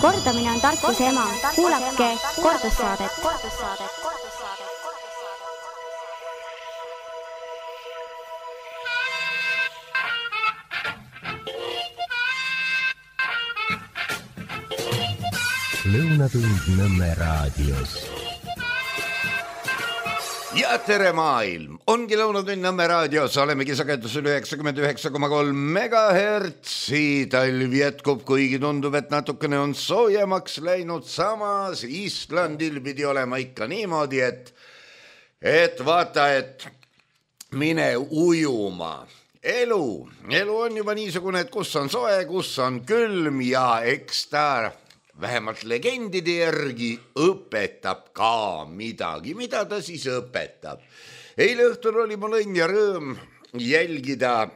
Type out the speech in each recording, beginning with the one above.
Kordamine on tarkuse ema. Kuulake kordussaadet. Lõunatund Nõmme raadios. Ja tere maailm! Ongi Lõunatund Nõmme raadios, olemegi sagedusel 99,3 megahertsi. Talv jätkub, kuigi tundub, et natukene on soojemaks läinud. Samas Islandil pidi olema ikka niimoodi, et vaata, et mine ujuma. Elu on juba niisugune, et kus on soe, kus on külm ja eks ta vähemalt legendide järgi õpetab ka midagi. Mida ta siis õpetab? Eile õhtul oli mul õnn ja rõõm jälgida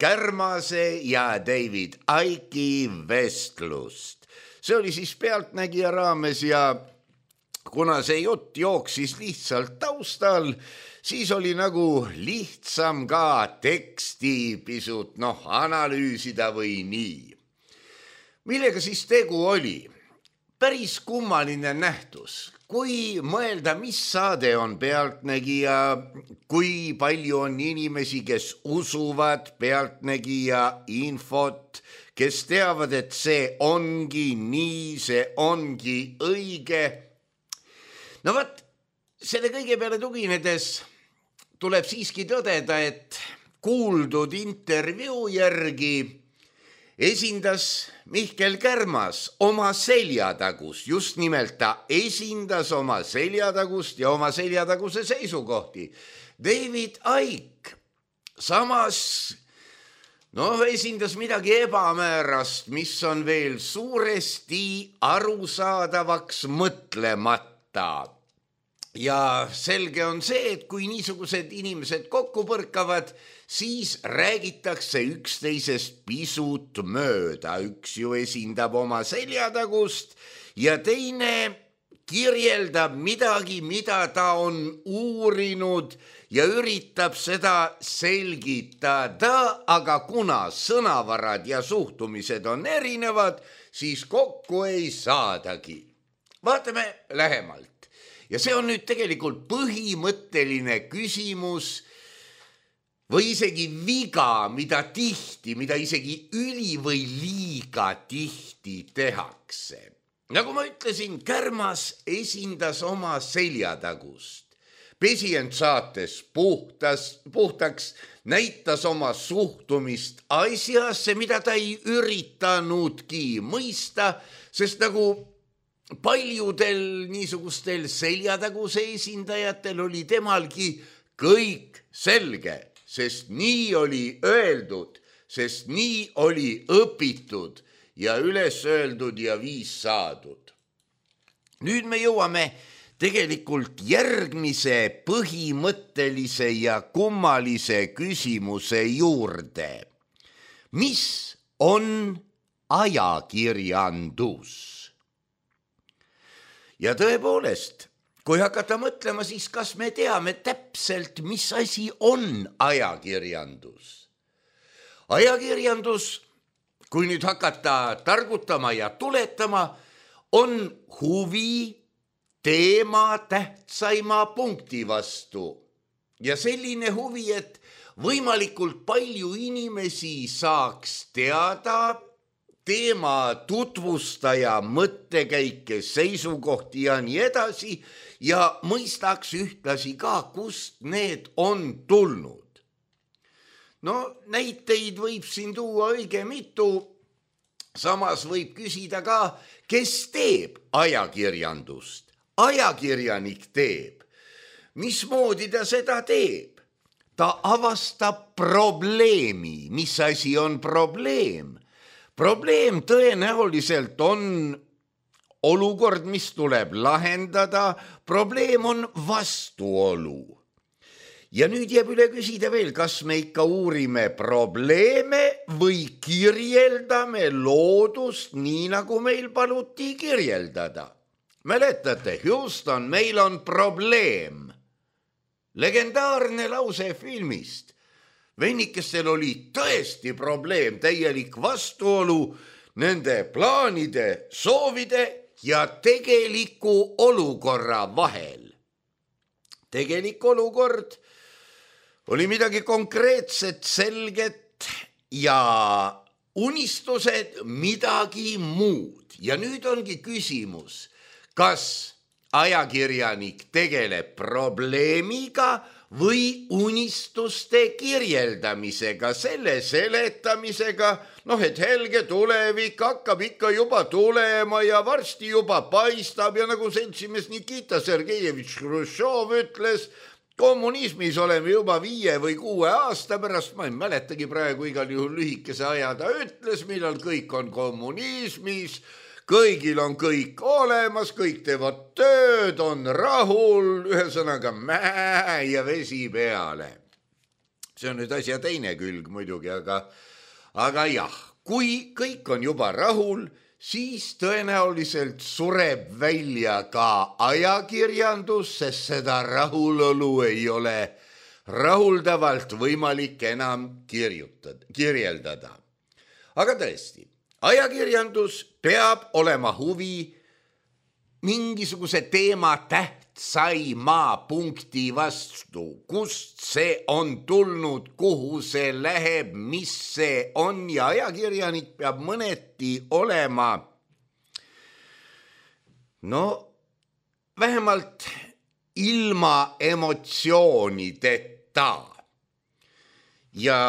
Kärmase ja David Icke'i vestlust. See oli siis Pealtnägija raames ja kuna see jutt jooksis lihtsalt taustal, siis oli nagu lihtsam ka teksti pisut analüüsida või nii. Millega siis tegu oli? Päris kummaline nähtus. Kui mõelda, mis saade on Pealtnägija, kui palju on inimesi, kes usuvad Pealtnägija infot, kes teavad, et see ongi nii, see ongi õige. No võt, selle kõige peale tuginedes tuleb siiski tõdeda, et kuuldud intervjuu järgi esindas Mihkel Kärmas oma seljatagust, just nimelt ta esindas oma seljatagust ja oma seljataguse seisukohti. David Icke samas esindas midagi ebamäärast, mis on veel suuresti arusaadavaks mõtlemata. Ja selge on see, et kui niisugused inimesed kokku põrkavad, siis räägitakse üksteisest pisut mööda. Üks ju esindab oma seljatagust ja teine kirjeldab midagi, mida ta on uurinud ja üritab seda selgitada, aga kuna sõnavarad ja suhtumised on erinevad, siis kokku ei saadagi. Vaatame lähemalt. Ja see on nüüd tegelikult põhimõtteline küsimus või isegi viga, mida isegi üli või liiga tihti tehakse. Nagu ma ütlesin, Kärmas esindas oma seljatagust. Pesi end saates puhtaks, näitas oma suhtumist asjasse, mida ta ei üritanudki mõista, sest nagu paljudel niisugustel seljataguse esindajatel oli temalgi kõik selge, sest nii oli öeldud, sest nii oli õpitud ja üles öeldud ja viis saadud. Nüüd me jõuame tegelikult järgmise põhimõttelise ja kummalise küsimuse juurde. Mis on ajakirjandus? Ja tõepoolest, kui hakata mõtlema, siis kas me teame täpselt, mis asi on ajakirjandus? Ajakirjandus, kui nüüd hakata targutama ja tuletama, on huvi teema tähtsaima punkti vastu. Ja selline huvi, et võimalikult palju inimesi saaks teada teema tutvustaja mõttekäike, seisukohti ja nii edasi ja mõistaks ühtlasi ka, kust need on tulnud. Näiteid võib siin tuua õige mitu, samas võib küsida ka, kes teeb ajakirjandust. Ajakirjanik teeb. Mismoodi ta seda teeb? Ta avastab probleemi. Mis asi on probleem? Probleem tõenäoliselt on olukord, mis tuleb lahendada. Probleem on vastuolu. Ja nüüd jääb üle küsida veel, kas me ikka uurime probleeme või kirjeldame loodust nii, nagu meil paluti kirjeldada. Mäletate, Houston, meil on probleem. Legendaarne lause filmist. Vennikestel oli tõesti probleem, täielik vastuolu. nende plaanide, soovide ja tegeliku olukorra vahel. Tegelik olukord oli midagi konkreetset, selget ja unistused midagi muud. Ja nüüd ongi küsimus, kas ajakirjanik tegeleb probleemiga või unistuste kirjeldamisega, selle seletamisega, et helge tulevik hakkab ikka juba tulema ja varsti juba paistab ja nagu seltsimees Nikita Sergejevitš Hruštšov ütles, kommunismis oleme juba 5 või 6 aasta pärast, ma ei mäletagi praegu igal juhul lühikese aja ta ütles, millal kõik on kommunismis, kõigil on kõik olemas, kõik teevad tööd, on rahul, ühesõnaga mäe ja vesi peale. See on nüüd asja teine külg muidugi, aga jah, kui kõik on juba rahul, siis tõenäoliselt sureb välja ka ajakirjandus, sest seda rahulolu ei ole rahuldavalt võimalik enam kirjeldada. Aga tõesti, ajakirjandus peab olema huvi mingisuguse teema tähtsaima punkti vastu, kust see on tulnud, kuhu see läheb, mis see on ja ajakirjanik peab mõneti olema vähemalt ilma emotsioonideta ja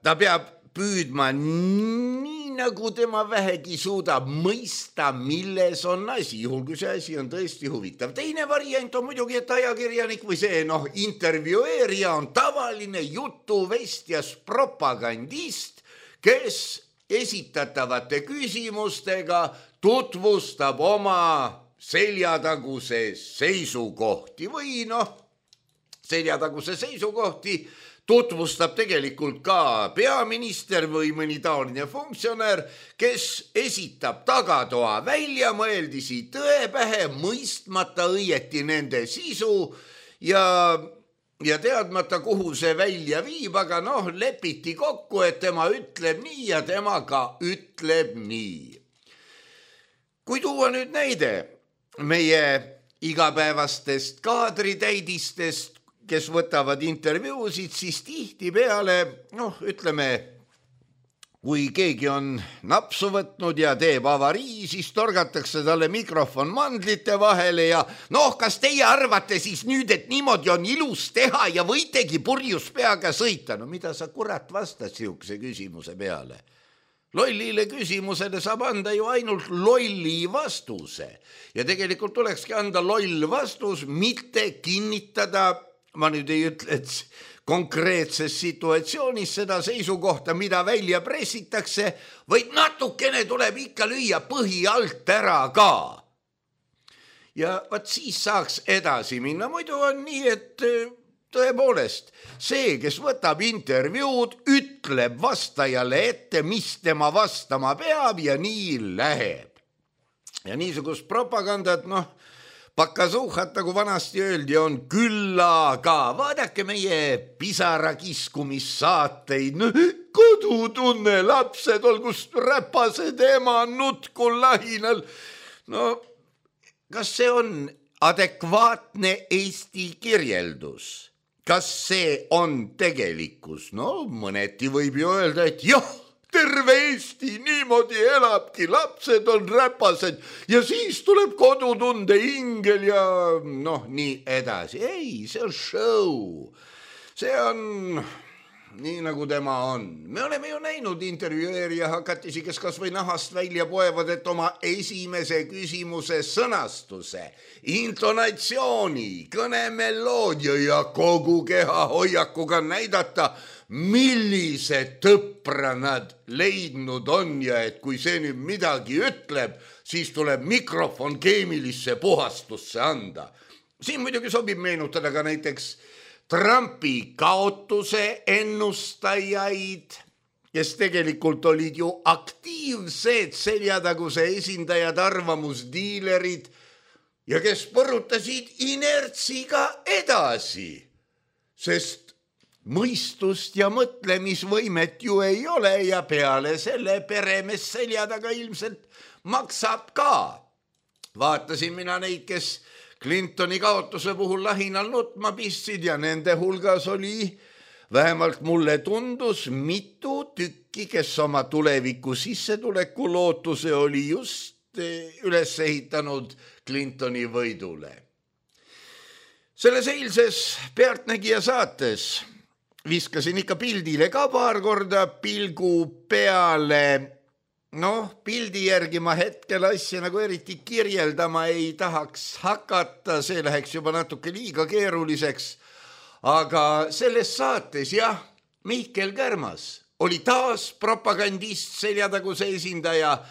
ta peab püüdma nii nagu tema vähegi suudab mõista, milles on asi, juhul kui see asi on tõesti huvitav. Teine variant on muidugi, et ajakirjanik või see intervjueerija on tavaline jutuvestjas propagandist, kes esitatavate küsimustega tutvustab oma seljataguse seisukohti või seljataguse seisukohti tutvustab tegelikult ka peaminister või mõni taoline funktsionär, kes esitab tagatoa väljamõeldisi tõe pähe, mõistmata õieti nende sisu ja teadmata, kuhu see välja viib, aga lepiti kokku, et tema ütleb nii ja tema ka ütleb nii. Kui tuua nüüd näide meie igapäevastest kaadritäidistest, kes võtavad intervjuusid, siis tihtipeale, ütleme, kui keegi on napsu võtnud ja teeb avarii, siis torgatakse talle mikrofon mandlite vahele ja kas teie arvate siis nüüd, et niimoodi on ilus teha ja võitegi purjus peaga sõita? Mida sa kurat vastad sihukese küsimuse peale? Lollile küsimusele saab anda ju ainult lolli vastuse ja tegelikult tulekski anda loll vastus, mitte kinnitada, ma nüüd ei ütle, et konkreetses situatsioonis seda seisukohta, mida välja pressitakse, vaid natukene tuleb ikka lüüa põhi alt ära ka. Ja vaat siis saaks edasi minna. Muidu on nii, et tõepoolest see, kes võtab intervjuud, ütleb vastajale ette, mis tema vastama peab ja nii läheb. Ja niisugust propagandat, Pakasuhat, nagu vanasti öeldi, on küllaga. Vaadake meie pisarakiskumissaateid. Kodutunne, lapsed, olgust räpased ema nutkul lahinal. Kas see on adekvaatne Eesti kirjeldus? Kas see on tegelikkus? Mõneti võib ju öelda, et jah, terve Eesti niimoodi elabki, lapsed on räpased ja siis tuleb kodutunde ingel ja nii edasi. Ei, see on show. See on nii, nagu tema on. Me oleme ju näinud intervjueerija hakatisi, kes kas või nahast välja poevad, et oma esimese küsimuse sõnastuse, intonatsiooni, kõnemeloodia ja kogu keha hoiakuga näidata, millised tõpra nad leidnud on ja et kui see nüüd midagi ütleb, siis tuleb mikrofon keemilisse puhastusse anda. Siin muidugi sobib meenutada ka näiteks Trumpi kaotuse ennustajaid, kes tegelikult olid ju aktiivsed seljataguse esindajad, arvamusdiilerid ja kes põrutasid inertsiga edasi, sest mõistust ja mõtlemisvõimet ju ei ole ja peale selle peremees selja taga ilmselt maksab ka. Vaatasin mina neid, kes Clintoni kaotuse puhul lahinal nutma pistsid ja nende hulgas oli, vähemalt mulle tundus, mitu tükki, kes oma tuleviku sissetuleku lootuse oli just üles ehitanud Clintoni võidule. Selles eilses Pealtnägija saates viskasin ikka pildile ka paar korda pilgu peale. Pildi järgi ma hetkel asja nagu eriti kirjeldama ei tahaks hakata, see läheks juba natuke liiga keeruliseks. Aga selles saates Mihkel Kärmas oli taas propagandist, seljataguse esindaja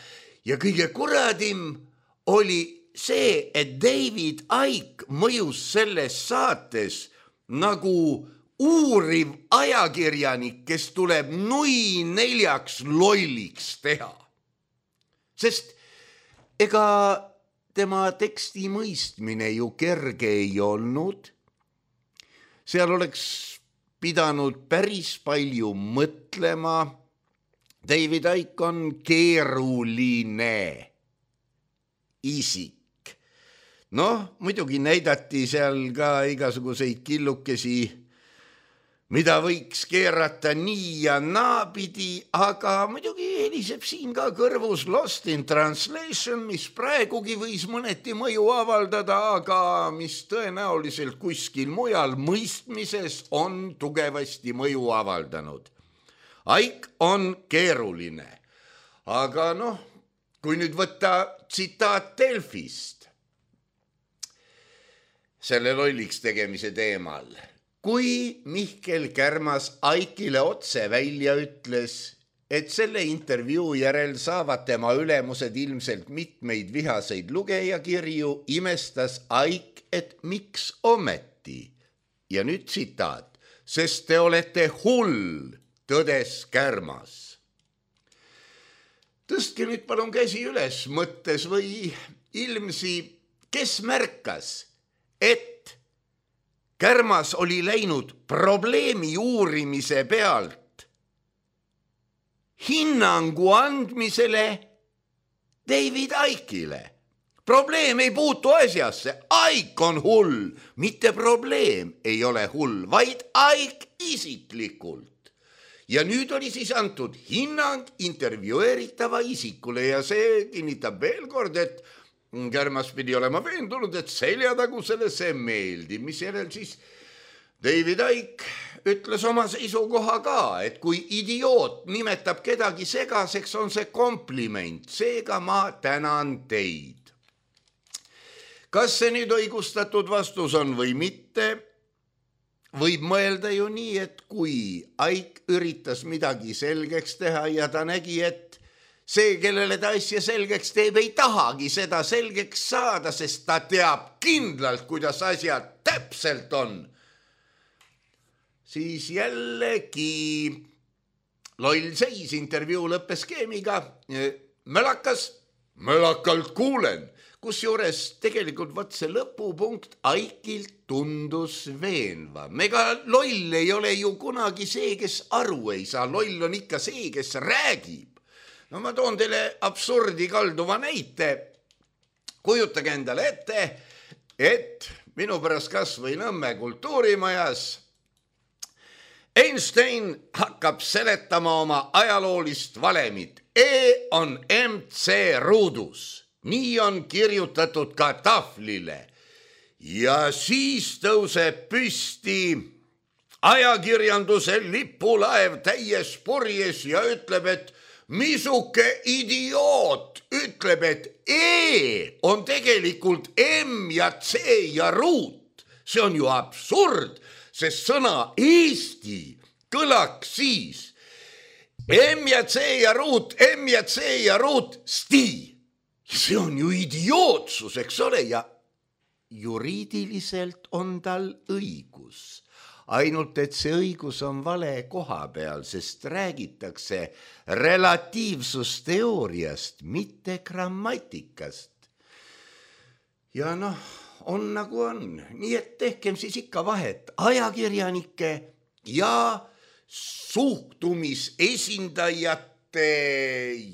ja kõige kuradim oli see, et David Icke mõjus selles saates nagu uuriv ajakirjanik, kes tuleb nui neljaks lolliks teha. Sest ega tema teksti mõistmine ju kerge ei olnud. Seal oleks pidanud päris palju mõtlema. David Icke on keeruline isik. Muidugi näidati seal ka igasuguseid killukesi, mida võiks keerata nii ja naapidi, aga muidugi heliseb siin ka kõrvus Lost in Translation, mis praegugi võis mõneti mõju avaldada, aga mis tõenäoliselt kuskil mujal mõistmises on tugevasti mõju avaldanud. Icke on keeruline, aga kui nüüd võtta tsitaat Delfist selle lolliks tegemise teemal, kui Mihkel Kärmas Icke'ile otse välja ütles, et selle intervjuu järel saavad tema ülemused ilmselt mitmeid vihaseid lugejakirju, imestas Icke, et miks ometi. Ja nüüd tsitaat, sest te olete hull, tõdes Kärmas. Tõstke nüüd palun käsi üles mõttes või ilmsi, kes märkas, et Kärmas oli läinud probleemi uurimise pealt hinnangu andmisele David Icke'ile. Probleem ei puutu asjasse, Icke on hull, mitte probleem ei ole hull, vaid Icke isiklikult. Ja nüüd oli siis antud hinnang intervjueeritava isikule ja see kinnitab veel kord, et Kärmas pidi olema veendunud, et seljatagusele see meeldib, mis järel siis David Icke ütles oma seisukoha ka, et kui idioot nimetab kedagi segaseks, on see kompliment, seega ma tänan teid. Kas see nüüd õigustatud vastus on või mitte? Võib mõelda ju nii, et kui Icke üritas midagi selgeks teha ja ta nägi, et see, kellele ta asja selgeks teeb, ei tahagi seda selgeks saada, sest ta teab kindlalt, kuidas asjad täpselt on. Siis jällegi loll seis, intervjuu lõppes skeemiga. Mölakalt kuulen. Kusjuures tegelikult see lõpupunkt Icke'ilt tundus veenva. Ega loll ei ole ju kunagi see, kes aru ei saa. Loll on ikka see, kes räägib. Ma toon teile absurdi kalduva näite. Kujutage endale ette, et minu pärast kas või Nõmme kultuurimajas Einstein hakkab seletama oma ajaloolist valemit. E on MC ruudus. Nii on kirjutatud ka tahvlile. Ja siis tõuseb püsti ajakirjanduse lipulaev täies purjes ja ütleb, et misuke idioot ütleb, et E on tegelikult M ja C ja ruut. See on ju absurd, sest sõna Eesti kõlaks siis M ja C ja ruut, M ja C ja ruut, sti. See on ju idiootsus, eks ole, ja juriidiliselt on tal õigus. Ainult, et see õigus on vale koha peal, sest räägitakse relatiivsusteooriast, mitte grammatikast. Ja on nagu on. Nii et tehkem siis ikka vahet ajakirjanike, ja suhtumisesindajate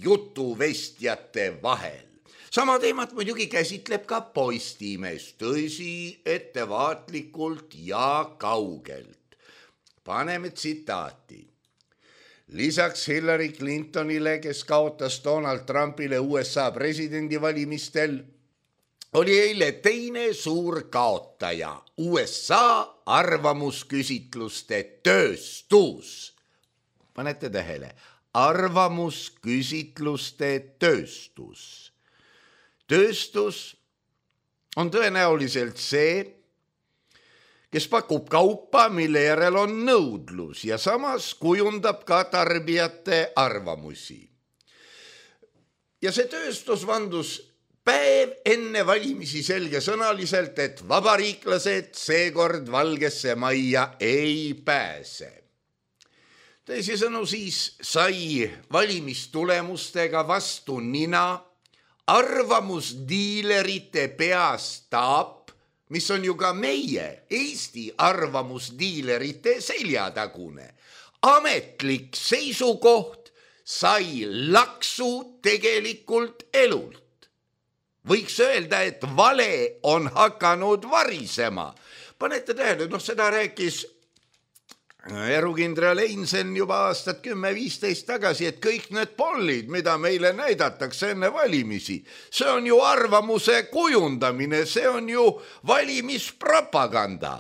jutuvestjate vahel. Sama teemat muidugi käsitleb ka Postimees, tõsi, ettevaatlikult ja kaugelt. Paneme tsitaati. Lisaks Hillary Clintonile, kes kaotas Donald Trumpile USA presidendivalimistel, oli eile teine suur kaotaja, USA arvamusküsitluste tööstus. Panete tähele, arvamusküsitluste tööstus. Tööstus on tõenäoliselt see, kes pakub kaupa, mille järel on nõudlus ja samas kujundab ka tarbijate arvamusi. Ja see tööstus vandus päev enne valimisi selgesõnaliselt, et vabariiklased seekord Valgesse Majja ei pääse. Teisisõnu siis sai valimistulemustega vastu nina arvamusdiilerite peastaap, mis on ju ka meie Eesti arvamusdiilerite seljatagune. Ametlik seisukoht sai laksu tegelikult elult. Võiks öelda, et vale on hakanud varisema. Panete tähele, seda rääkis erukindral Einsen juba aastat 10-15 tagasi, et kõik need pollid, mida meile näidatakse enne valimisi, see on ju arvamuse kujundamine, see on ju valimispropaganda.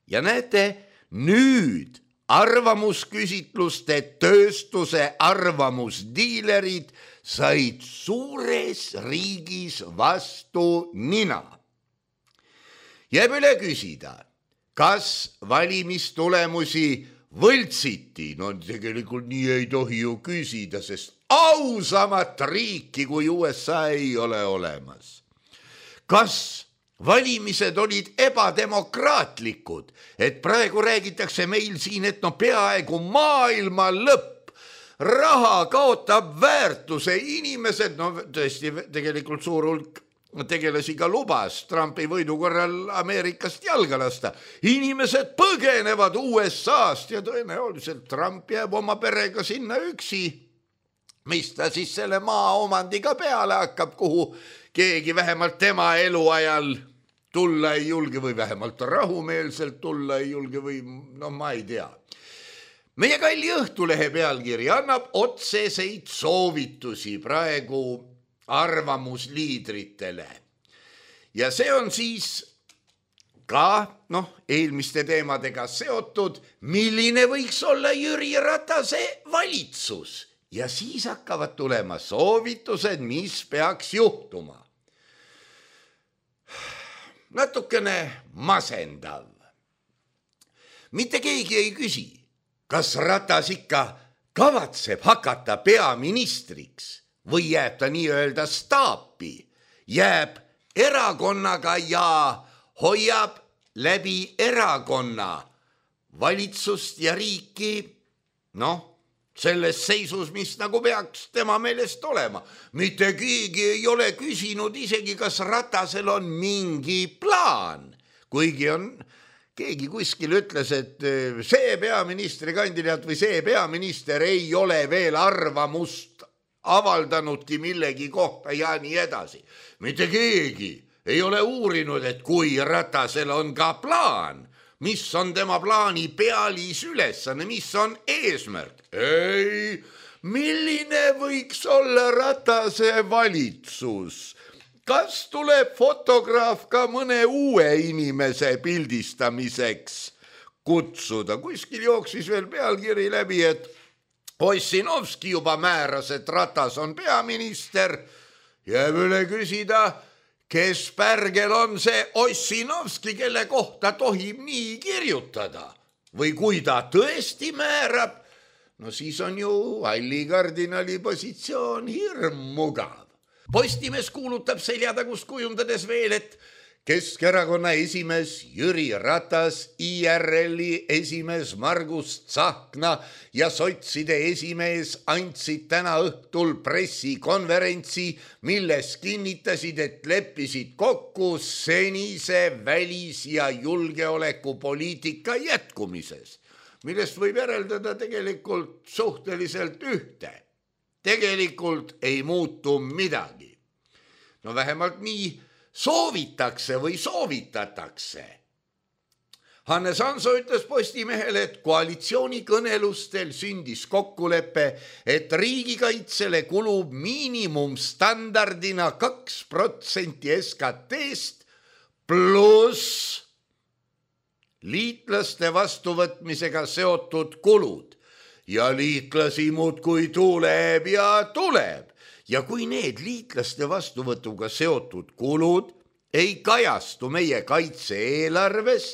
Ja näete, nüüd arvamusküsitluste tööstuse arvamusdiilerid said suures riigis vastu nina. Jääb üle küsida, kas valimistulemusi võltsiti? No tegelikult nii ei tohi ju küsida, sest ausamat riiki kui USA ei ole olemas. Kas valimised olid ebademokraatlikud, et praegu räägitakse meil siin, et peaaegu maailma lõpp, raha kaotab väärtuse, inimesed, tõesti tegelikult suur hulk tegelasi ka lubas Trumpi võidu korral Ameerikast jalga lasta. Inimesed põgenevad USA-st ja tõenäoliselt Trump jääb oma perega sinna üksi. Mis ta siis selle maa omandiga peale hakkab, kuhu keegi vähemalt tema eluajal tulla ei julge või vähemalt rahumeelselt tulla ei julge või ma ei tea. Meie kalli Õhtulehe pealkiri annab otseseid soovitusi praegu arvamusliidritele. Ja see on siis ka, eelmiste teemadega seotud, milline võiks olla Jüri Ratase valitsus. Ja siis hakkavad tulema soovitused, mis peaks juhtuma. Natukene masendav. Mitte keegi ei küsi, kas Ratas ikka kavatseb hakata peaministriks või jääb ta nii-öelda staapi, jääb erakonnaga ja hoiab läbi erakonna valitsust ja riiki, selles seisus, mis nagu peaks tema meelest olema. Mitte keegi ei ole küsinud isegi, kas Ratasel on mingi plaan, kuigi keegi kuskil ütles, et see peaministrikandidaat või see peaminister ei ole veel arvamust avaldanudki millegi kohta ja nii edasi. Mitte keegi ei ole uurinud, et kui Ratasel on ka plaan, mis on tema plaani pealisülesanne, mis on eesmärk. Ei, milline võiks olla Ratase valitsus? Kas tuleb fotograaf ka mõne uue inimese pildistamiseks kutsuda? Kuskil jooksis veel pealkiri läbi, et Ossinovski juba määras, et Ratas on peaminister. Jääb üle küsida, kes pärgel on see Ossinovski, kelle kohta tohib nii kirjutada. Või kui ta tõesti määrab, siis on ju halli kardinali positsioon hirmmugav. Postimees kuulutab seljatagust kujundades veel, et Keskerakonna esimees Jüri Ratas, IRL-i esimees Margus Tsahkna ja sotside esimees andsid täna õhtul pressikonverentsi, milles kinnitasid, et leppisid kokku senise välis- ja julgeolekupoliitika jätkumises. millest võib järeldada tegelikult suhteliselt ühte. Tegelikult ei muutu midagi. No vähemalt nii soovitakse või soovitatakse. Hannes Hanso ütles Postimehele, et koalitsioonikõnelustel sündis kokkulepe, et riigikaitsele kulub miinimumstandardina 2% SKT-st pluss liitlaste vastuvõtmisega seotud kulud. Ja liitlasi muudkui tuleb ja tuleb. Ja kui need liitlaste vastuvõtuga seotud kulud ei kajastu meie kaitse-eelarves,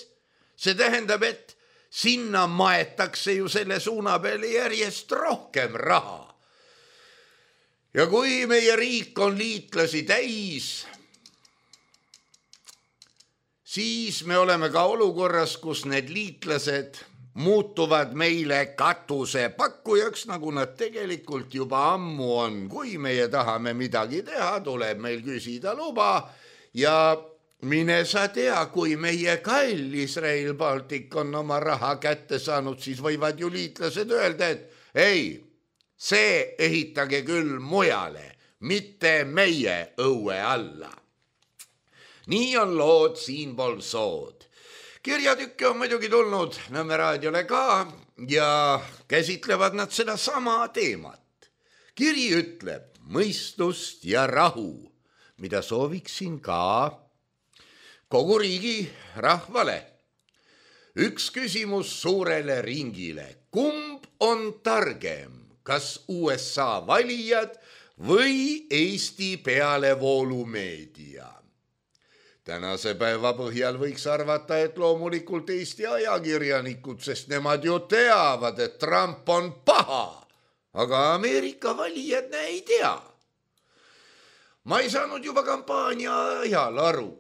see tähendab, et sinna maetakse ju selle suuna peale järjest rohkem raha. Ja kui meie riik on liitlasi täis, siis me oleme ka olukorras, kus need liitlased muutuvad meile katusepakkujaks, nagu nad tegelikult juba ammu on. Kui meie tahame midagi teha, tuleb meil küsida luba ja mine sa tea, kui meie kallis Rail Baltic on oma raha kätte saanud, siis võivad ju liitlased öelda, et ei, see ehitage küll mujale, mitte meie õue alla. Nii on lood siinpool sood. Kirjatükke on muidugi tulnud Nõmme raadiole ka ja käsitlevad nad seda sama teemat. Kiri ütleb mõistust ja rahu, mida sooviksin ka kogu riigi rahvale. Üks küsimus suurele ringile. Kumb on targem, kas USA valijad või Eesti pealevoolumeedia? Tänase päeva põhjal võiks arvata, et loomulikult Eesti ajakirjanikud, sest nemad ju teavad, et Trump on paha, aga Ameerika valijad ei tea. Ma ei saanud juba kampaania ajal aru,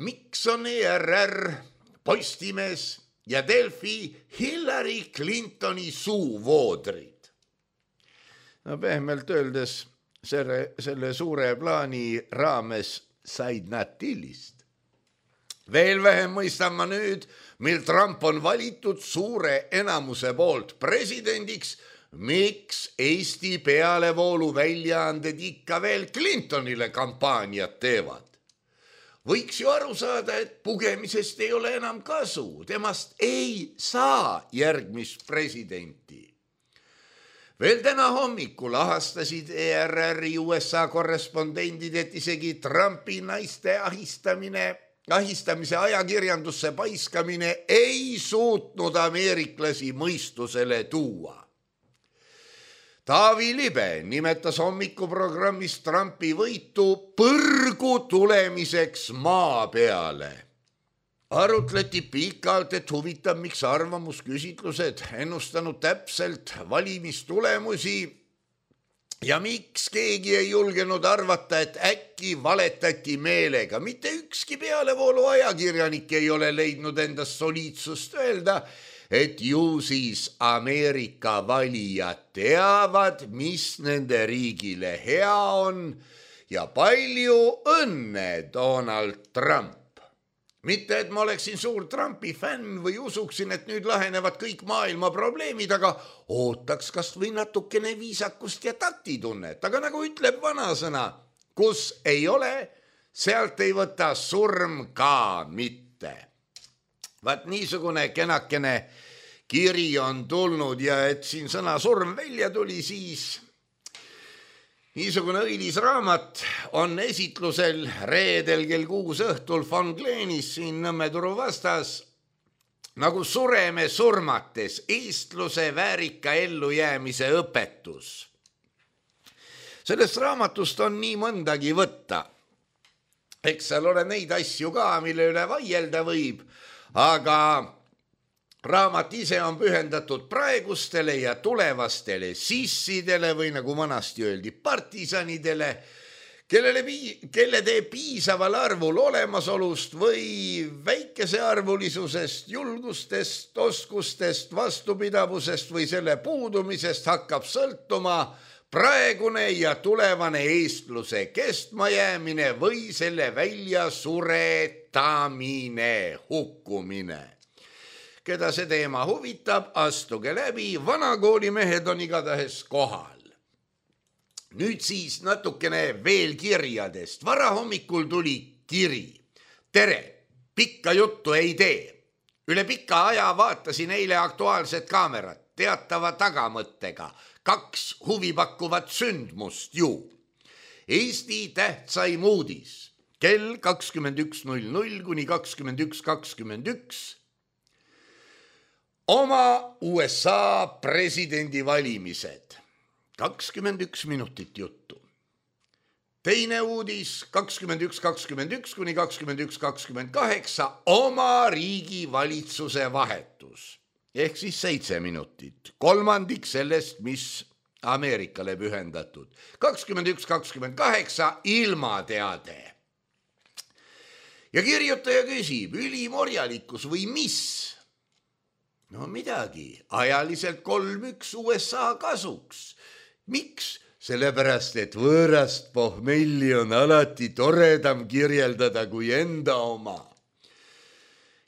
miks on ERR, Postimees ja Delfi Hillary Clintoni suuvoodrid? No pehmelt öeldes selle suure plaani raames said nad tillist. Veel vähem mõistan ma nüüd, mil Trump on valitud suure enamuse poolt presidendiks, miks Eesti pealevoolu väljaanded ikka veel Clintonile kampaaniat teevad. Võiks ju aru saada, et pugemisest ei ole enam kasu, temast ei saa järgmist presidenti. Veel täna hommikul ahastasid ERR-i USA korrespondendid, et isegi Trumpi naiste ahistamise ajakirjandusse paiskamine ei suutnud ameeriklasi mõistusele tuua. Taavi Libe nimetas hommikuprogrammis Trumpi võitu põrgu tulemiseks maa peale. Arutleti pikalt, et huvitab, miks arvamusküsitlused ennustanud täpselt valimistulemusi ja miks keegi ei julgenud arvata, et äkki valetati meelega. Mitte ükski pealevoolu ajakirjanik ei ole leidnud endast soliidsust öelda, et ju siis Ameerika valijad teavad, mis nende riigile hea on ja palju õnne, Donald Trump. Mitte, et ma oleksin suur Trumpi fänn või usuksin, et nüüd lahenevad kõik maailma probleemid, aga ootaks kas või natukene viisakust ja taktitunnet. Aga nagu ütleb vanasõna, kus ei ole, sealt ei võta surm ka mitte. Vaat niisugune kenakene kiri on tulnud ja et siin sõna surm välja tuli, siis niisugune õilis raamat on esitlusel reedel kell 6 õhtul Von Gleenis siin Nõmme turu vastas nagu Sureme surmates, eestluse väärika ellujäämise õpetus. Sellest raamatust on nii mõndagi võtta. Eks seal ole neid asju ka, mille üle vaielda võib, aga raamat ise on pühendatud praegustele ja tulevastele sissidele või nagu vanasti öeldi partisanidele, kelle teeb piisaval arvul olemasolust või väikesearvulisusest, julgustest, oskustest, vastupidavusest või selle puudumisest hakkab sõltuma praegune ja tulevane eestluse kestmajäämine või selle väljasuretamine, hukkumine. keda see teema huvitab, astuge läbi, vanakoolimehed on igatahes kohal. Nüüd siis natukene veel kirjadest. Varahommikul tuli kiri. Tere, pikka juttu ei tee. Üle pika aja vaatasin eile Aktuaalset kaamerat teatava tagamõttega. 2 huvipakkuvat sündmust ju. Eesti tähtsaim uudis. Kell 21.00 kuni 21.21. Oma USA presidendivalimised. 21 minutit juttu. Teine uudis 21.21 kuni 21.28. Oma riigi valitsuse vahetus. Ehk siis 7 minutit. Kolmandik sellest, mis Ameerikale pühendatud. 21.28 ilmateade. Ja kirjutaja küsib, ülimorjalikkus või mis? No midagi, ajaliselt 3-1 USA kasuks. Miks? Sellepärast, et võõrast pohmelli on alati toredam kirjeldada kui enda oma.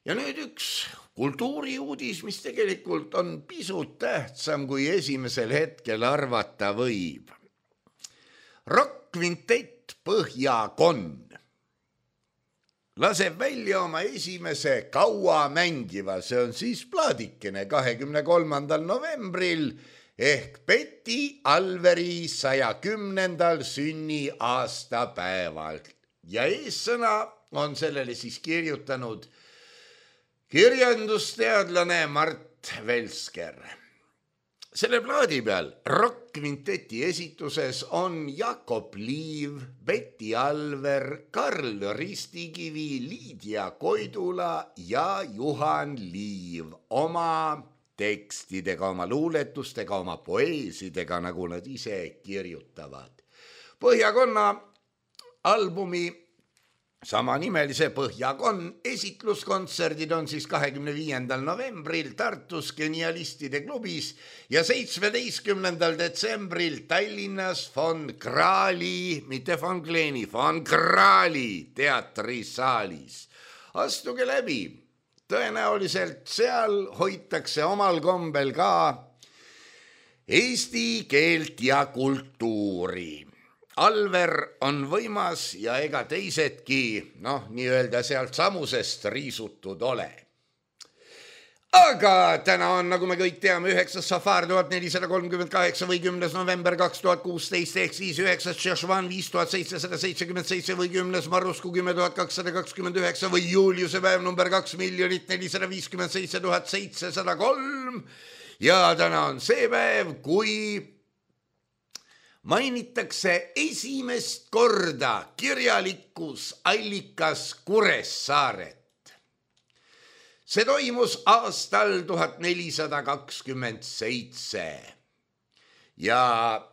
Ja nüüd üks kultuuriuudis, mis tegelikult on pisut tähtsam kui esimesel hetkel arvata võib. Rock-kvintett Põhjakonn laseb välja oma esimese kaua mängiva, see on siis plaadikene 23. novembril ehk Betty Alveri 110. sünniaastapäeval. Ja eessõna on sellele siis kirjutanud kirjandusteadlane Mart Velsker. Selle plaadi peal rock-kvinteti esituses on Jakob Liiv, Betty Alver, Karl Ristikivi, Liidia Koidula ja Juhan Liiv oma tekstidega, oma luuletustega, oma poeesidega, nagu nad ise kirjutavad. Põhjakonna albumi samanimelise Põhjakonn esitluskontserdid on siis 25. novembril Tartus Genialistide klubis ja 17. detsembril Tallinnas von Krahli, mitte von Kleeni, von Krahli teatrisaalis. Astuge läbi, tõenäoliselt seal hoitakse omal kombel ka eesti keelt ja kultuuri. Alver on võimas ja ega teisedki, nii-öelda sealt samusest riisutud ole. Aga täna on, nagu me kõik teame, 9. Safar 1438 või 10. november 2016 ehk siis 9. Šešvan 5777 või 10. Marusku 10229 või Juliuse päev number 2 457 703. Ja täna on see päev, kui mainitakse esimest korda kirjalikus allikas Kuressaaret. See toimus aastal 1427 ja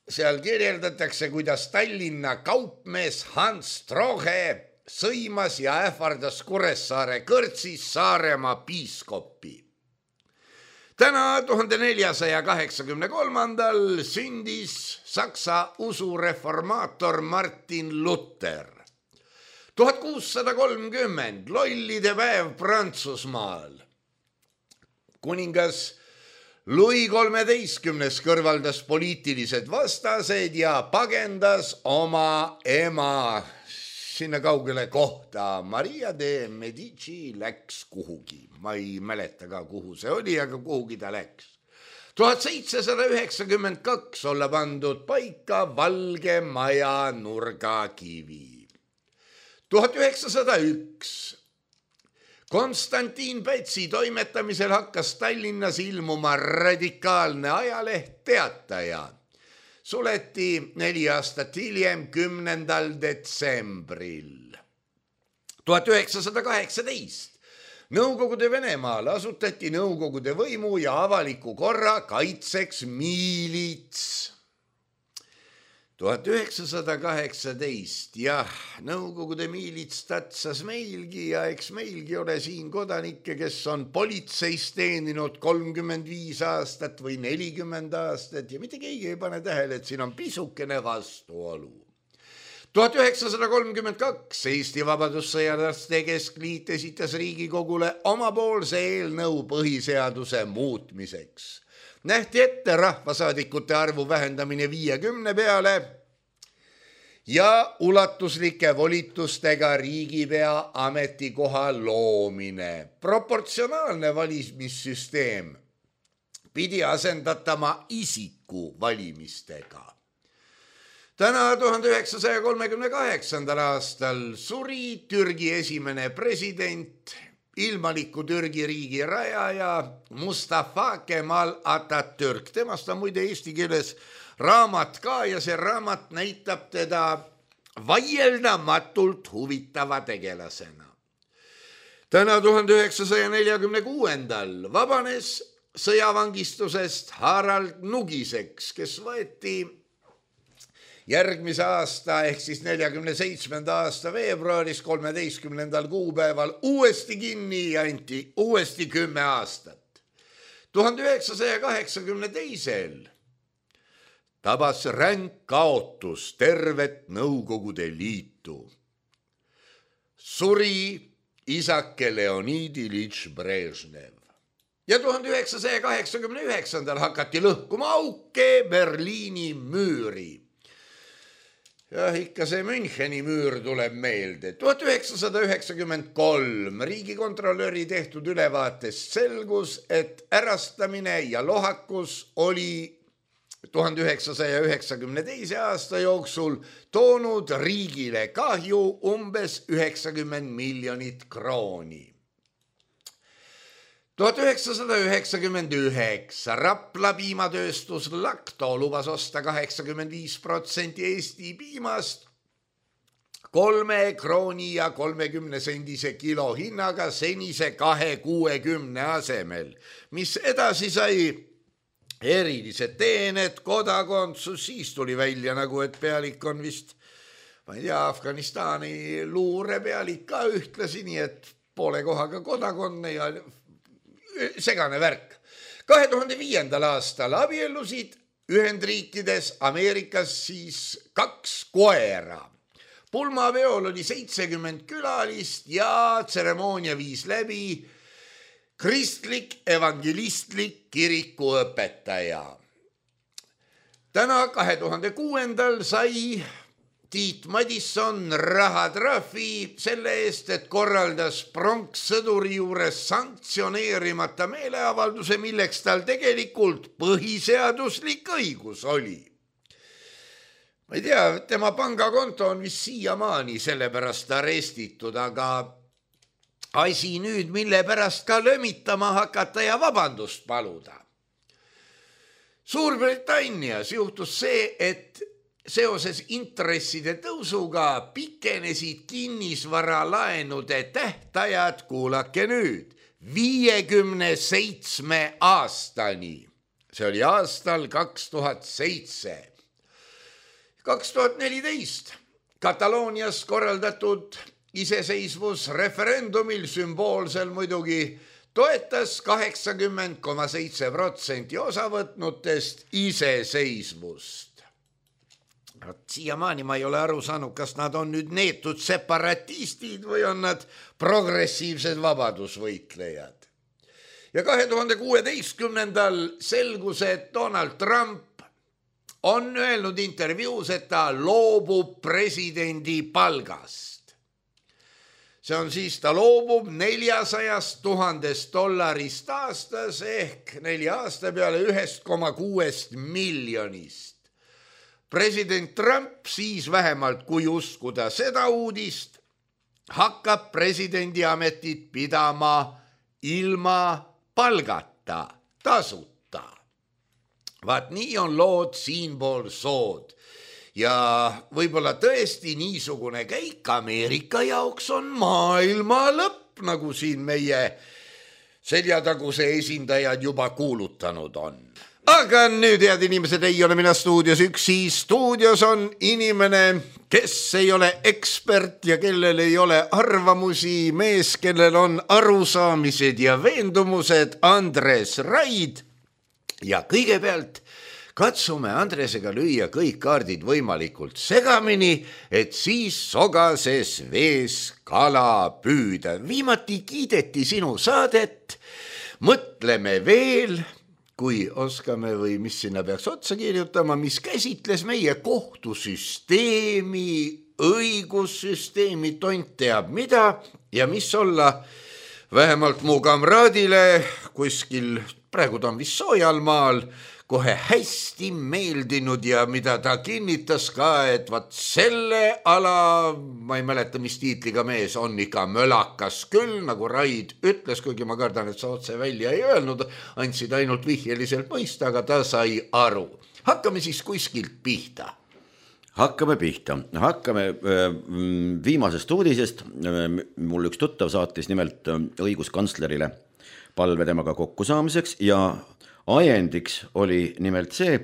seal kirjeldatakse, kuidas Tallinna kaupmees Hans Strohe sõimas ja ähvardas Kuressaare kõrtsis Saaremaa piiskopi. Täna 1483. sündis Saksa usureformaator Martin Luther. 1630 lollide päev Prantsusmaal. Kuningas Louis XIII kõrvaldas poliitilised vastased ja pagendas oma ema sinna kaugele kohta. Maria de Medici läks kuhugi. Ma ei mäleta ka, kuhu see oli, aga kuhugi ta läks. 1792 olla pandud paika Valge Maja nurgakivi. 1901 Konstantin Pätsi toimetamisel hakkas Tallinnas ilmuma radikaalne ajaleht Teataja. Suleti 4 aastat hiljem 10. detsembril. 1918 Nõukogude Venemaal asutati Nõukogude võimu ja avaliku korra kaitseks miilits. 1918, jah, Nõukogude miilits tatsas meilgi ja eks meilgi ole siin kodanikke, kes on politseis teeninud 35 aastat või 40 aastat ja mitte keegi ei pane tähele, et siin on pisukene vastuolu. 1932 Eesti Vabadussõjalaste Keskliit esitas Riigikogule omapoolse eelnõu põhiseaduse muutmiseks. Nähti ette rahvasaadikute arvu vähendamine 50 peale ja ulatuslike volitustega riigipea ametikoha loomine. Proportsionaalne valimissüsteem pidi asendatama isiku valimistega. Täna 1938. aastal suri Türgi esimene president, ilmaliku Türgi riigi rajaja Mustafa Kemal Atatürk. Temast on muide eesti keeles raamat ka ja see raamat näitab teda vaieldamatult huvitava tegelasena. Täna 1946. vabanes sõjavangistusest Harald Nugiseks, kes võeti järgmise aasta ehk siis 47. aasta veebruaris 13. kuupäeval uuesti kinni ja anti uuesti 10 aastat. 1982. tabas ränk kaotus tervet Nõukogude Liitu. Suri isake Leonid Ilitš Brežnev. Ja 1989. hakati lõhkuma auke Berliini müüri. Ja ikka see Müncheni müür tuleb meelde. 1993 riigikontrolöri tehtud ülevaatest selgus, et ärastamine ja lohakus oli 1992. aasta jooksul toonud riigile kahju umbes 90 miljonit krooni. 1999 Rapla piimatööstus Lakto lubas osta 85% Eesti piimast 3 krooni ja 30 sendise kilo hinnaga senise 2,60 asemel, mis edasi sai erilised teened, kodakondsus, siis tuli välja nagu, et pealik on vist, ma ei tea, Afganistani luurepealik ka ühtlasi, nii et poole kohaga kodakonne ja segane värk. 2005. aastal abiellusid Ühendriikides, Ameerikas siis 2 koera. Pulmaveol oli 70 külalist ja tseremoonia viis läbi kristlik evangelistlik kirikuõpetaja. Täna 2006. sai Tiit Madisson rahatrahvi selle eest, et korraldas pronkssõduri juures sanktsioneerimata meeleavalduse, milleks tal tegelikult põhiseaduslik õigus oli. Ma ei tea, tema pangakonto on vist siiamaani sellepärast arestitud, aga asi nüüd, mille pärast ka lömitama hakata ja vabandust paluda. Suurbritannias juhtus see, et seoses intresside tõusuga pikenesid kinnisvaralaenude tähtajad, kuulake nüüd, 57 aastani. See oli aastal 2007. 2014 Kataloonias korraldatud iseseisvusreferendumil sümboolsel muidugi toetas 80,7% osavõtnutest iseseisvust. Siiamaani ma ei ole aru saanud, kas nad on nüüd neetud separatistid või on nad progressiivsed vabadusvõitlejad. Ja 2016. selgus, et Donald Trump on öelnud intervjuus, et ta loobub presidendi palgast. See on siis, ta loobub $400,000 aastas ehk 4 aasta peale 1,6 miljonist. President Trump siis vähemalt, kui uskuda seda uudist, hakkab presidendi ametit pidama ilma palgata, tasuta. Vaat nii on lood siinpool sood. Ja võib-olla tõesti niisugune käik Ameerika jaoks on maailma lõpp, nagu siin meie seljataguse esindajad juba kuulutanud on. Aga nüüd, head inimesed, ei ole mina stuudios üksi. Stuudios on inimene, kes ei ole ekspert ja kellel ei ole arvamusi, mees, kellel on arusaamised ja veendumused, Andres Raid. Ja kõigepealt katsume Andresega lüüa kõik kaardid võimalikult segamini, et siis sogases vees kala püüda. Viimati kiideti sinu saadet, mõtleme veel, kui oskame või mis sinna peaks otsa kirjutama, mis käsitles meie kohtusüsteemi, õigussüsteemi, tont teab mida ja mis olla vähemalt mu kamraadile kuskil, praegu ta on vist soojal maal, kohe hästi meeldinud ja mida ta kinnitas ka, et vat selle ala, ma ei mäleta, mis tiitliga mees on ikka mölakas küll, nagu Raid ütles, kuigi ma kardan, et sa otse välja ei öelnud, andsid ainult vihjeliselt mõista, aga ta sai aru. Hakkame siis kuskilt pihta. Hakkame viimasest uudisest. Mul üks tuttav saatis nimelt õiguskantslerile palve temaga kokkusaamiseks ja ajendiks oli nimelt see,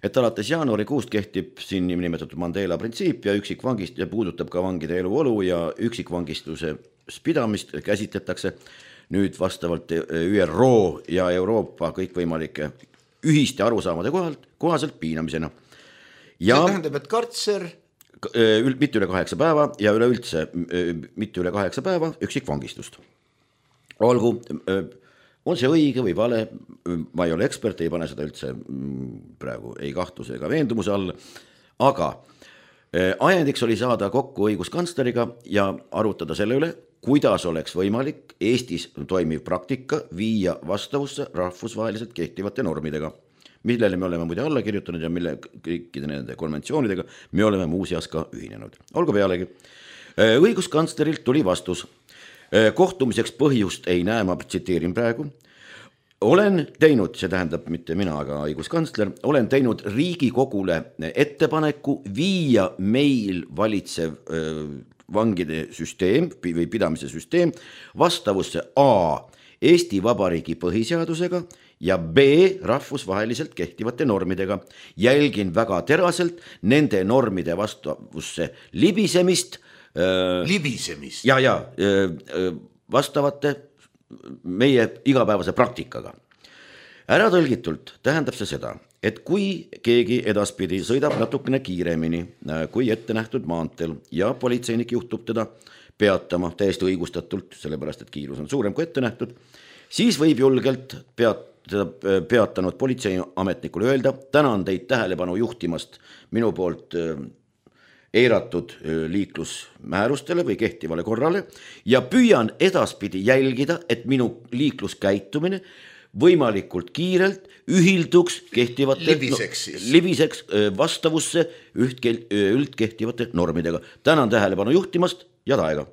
et alates jaanuarikuust kehtib siin nimetatud Mandela printsiip ja üksikvangist ja puudutab ka vangide eluolu ja üksikvangistuse pidamist käsitletakse nüüd vastavalt ÜRO ja Euroopa kõikvõimalike ühiste arusaamade kohaselt piinamisena. Ja see tähendab, et kartser mitte üle 8 päeva ja üleüldse mitte üle 8 päeva üksikvangistust. Olgu, on see õige või vale, ma ei ole ekspert, ei pane seda üldse praegu ei kahtluse ega veendumuse alla, aga ajendiks oli saada kokku õiguskantsleriga ja arutada selle üle, kuidas oleks võimalik Eestis toimiv praktika viia vastavusse rahvusvaheliselt kehtivate normidega, millele me oleme muide alla kirjutanud ja mille kõikide nende konventsioonidega me oleme muuseas ka ühinenud. Olgu pealegi, õiguskantslerilt tuli vastus. Kohtumiseks põhjust ei näe, ma tsiteerin praegu. Olen teinud, see tähendab mitte mina, aga õiguskantsler, olen teinud Riigikogule ettepaneku viia meil valitsev vangide süsteem või pidamise süsteem vastavusse A. Eesti Vabariigi põhiseadusega ja B. rahvusvaheliselt kehtivate normidega. Jälgin väga teraselt nende normide vastavusse libisemist ja vastavate meie igapäevase praktikaga. Ära tõlgitult tähendab see seda, et kui keegi edaspidi sõidab natukene kiiremini kui ette nähtud maanteel ja politseinik juhtub teda peatama täiesti õigustatult, sellepärast et kiirus on suurem kui ette nähtud, siis võib julgelt peatanud politseiametnikule öelda, tänan teid tähelepanu juhtimast minu poolt eiratud liiklusmäärustele või kehtivale korrale ja püüan edaspidi jälgida, et minu liikluskäitumine võimalikult kiirelt ühilduks kehtivate libiseks vastavusse üldkehtivate normidega. Tänan tähelepanu juhtimast ja taega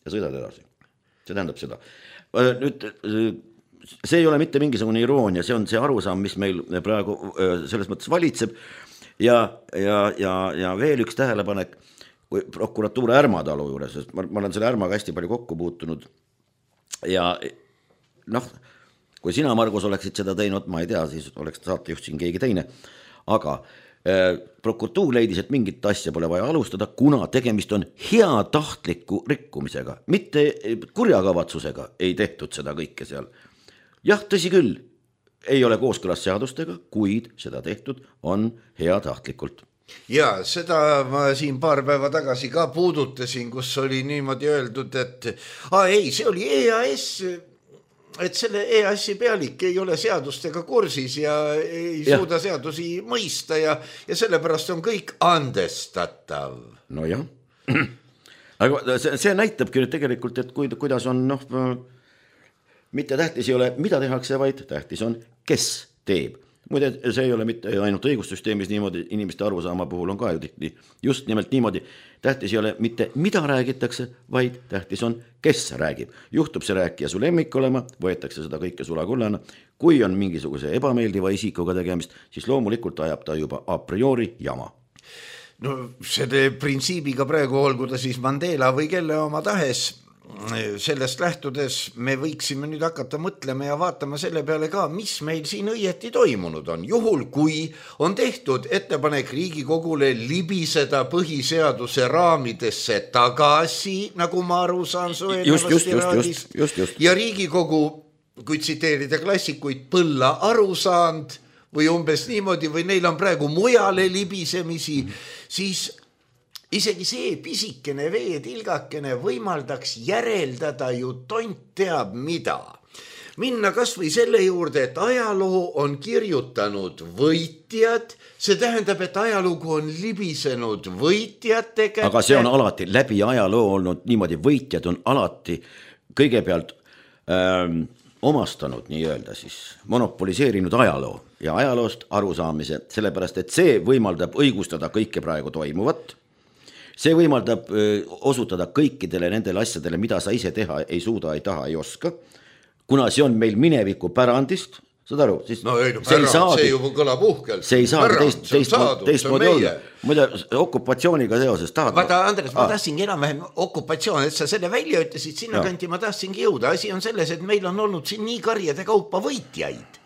ja sõidad edasi. See tähendab seda. Nüüd, see ei ole mitte mingisugune iroonia, see on see arusaam, mis meil praegu selles mõttes valitseb. Ja veel üks tähelepanek prokuratuuri Ärmatalu juures, sest ma olen selle Ärmaga hästi palju kokku puutunud ja kui sina, Margus, oleksid seda teinud, ma ei tea, siis oleks saatejuht siin keegi teine, aga prokuratuur leidis, et mingit asja pole vaja alustada, kuna tegemist on heatahtliku rikkumisega, mitte kurjakavatsusega ei tehtud seda kõike seal. Jah, tõsi küll, ei ole kooskõlas seadustega, kuid seda tehtud on heatahtlikult. Ja seda ma siin paar päeva tagasi ka puudutasin, kus oli niimoodi öeldud, et see oli EAS, et selle EAS-i pealik ei ole seadustega kursis ja ei suuda seadusi mõista ja sellepärast on kõik andestatav. No jah, aga see näitabki nüüd tegelikult, et kuidas on, mitte tähtis ei ole, mida tehakse, vaid tähtis on, kes teeb. Muide, see ei ole mitte ainult õigussüsteemis niimoodi, inimeste arusaama puhul on ka just nimelt niimoodi. Tähtis ei ole mitte mida räägitakse, vaid tähtis on, kes räägib. Juhtub see rääkija su lemmik olema, võetakse seda kõike sulakullana. Kui on mingisuguse ebameeldiva isikuga tegemist, siis loomulikult ajab ta juba a priori jama. No selle printsiibiga praegu olgu ta siis Mandela või kelle oma tahes, sellest lähtudes me võiksime nüüd hakata mõtlema ja vaatama selle peale ka, mis meil siin õieti toimunud on. Juhul, kui on tehtud ettepanek Riigikogule libiseda põhiseaduse raamidesse tagasi, nagu ma aru saan su eelnevast iraadist, ja Riigikogu, kui tsiteerida klassikuid, põlla aru saanud, või umbes niimoodi või neil on praegu mujale libisemisi, siis isegi see pisikene veetilgakene võimaldaks järeldada ju tont teab mida. Minna kas või selle juurde, et ajaloo on kirjutanud võitjad, see tähendab, et ajalugu on libisenud võitjate kätte. Aga see on alati läbi ajaloo olnud niimoodi, võitjad on alati kõigepealt omastanud nii-öelda siis monopoliseerinud ajaloo ja ajaloost arusaamise, sellepärast et see võimaldab õigustada kõike praegu toimuvat. See võimaldab osutada kõikidele nendele asjadele, mida sa ise teha ei suuda, ei taha, ei oska. Kuna see on meil mineviku pärandist, saad aru? Siis no ei, see juba kõlab uhkelt. See ei saa teistmoodi olla. Muide, okupatsiooniga seoses tahad... Vaata, Andres, ma tahtsingi enam-vähem okupatsioon, et sa selle välja ütlesid, sinna kanti ma tahtsingi jõuda. Asi on selles, et meil on olnud siin nii karjade kaupa võitjaid.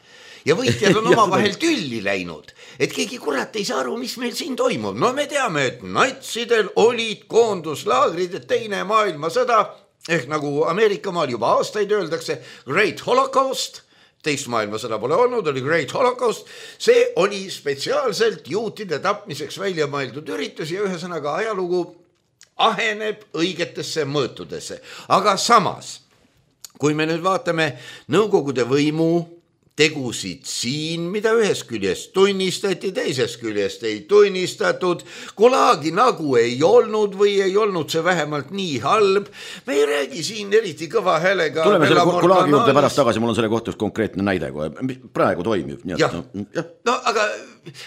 Ja võitjad on oma vahel tülli läinud. Et keegi kurat ei saa aru, mis meil siin toimub. No me teame, et natsidel olid koonduslaagrid, et teine maailmasõda... ehk nagu Ameerika maal juba aastaid öeldakse Great Holocaust, teist maailmasõda pole olnud, oli Great Holocaust, see oli spetsiaalselt juutide tapmiseks välja mõeldud üritus ja ühesõnaga ajalugu aheneb õigetesse mõõtudesse. Aga samas, kui me nüüd vaatame Nõukogude võimu tegusid siin, mida ühest küljest tunnistati, teisest küljest ei tunnistatud, Gulagi nagu ei olnud või ei olnud see vähemalt nii halb. Me ei räägi siin eriti kõva häälega. Tuleme selle Gulagi juurde pärast tagasi, mul on selle kohta konkreetne näide, kui praegu toimib. No aga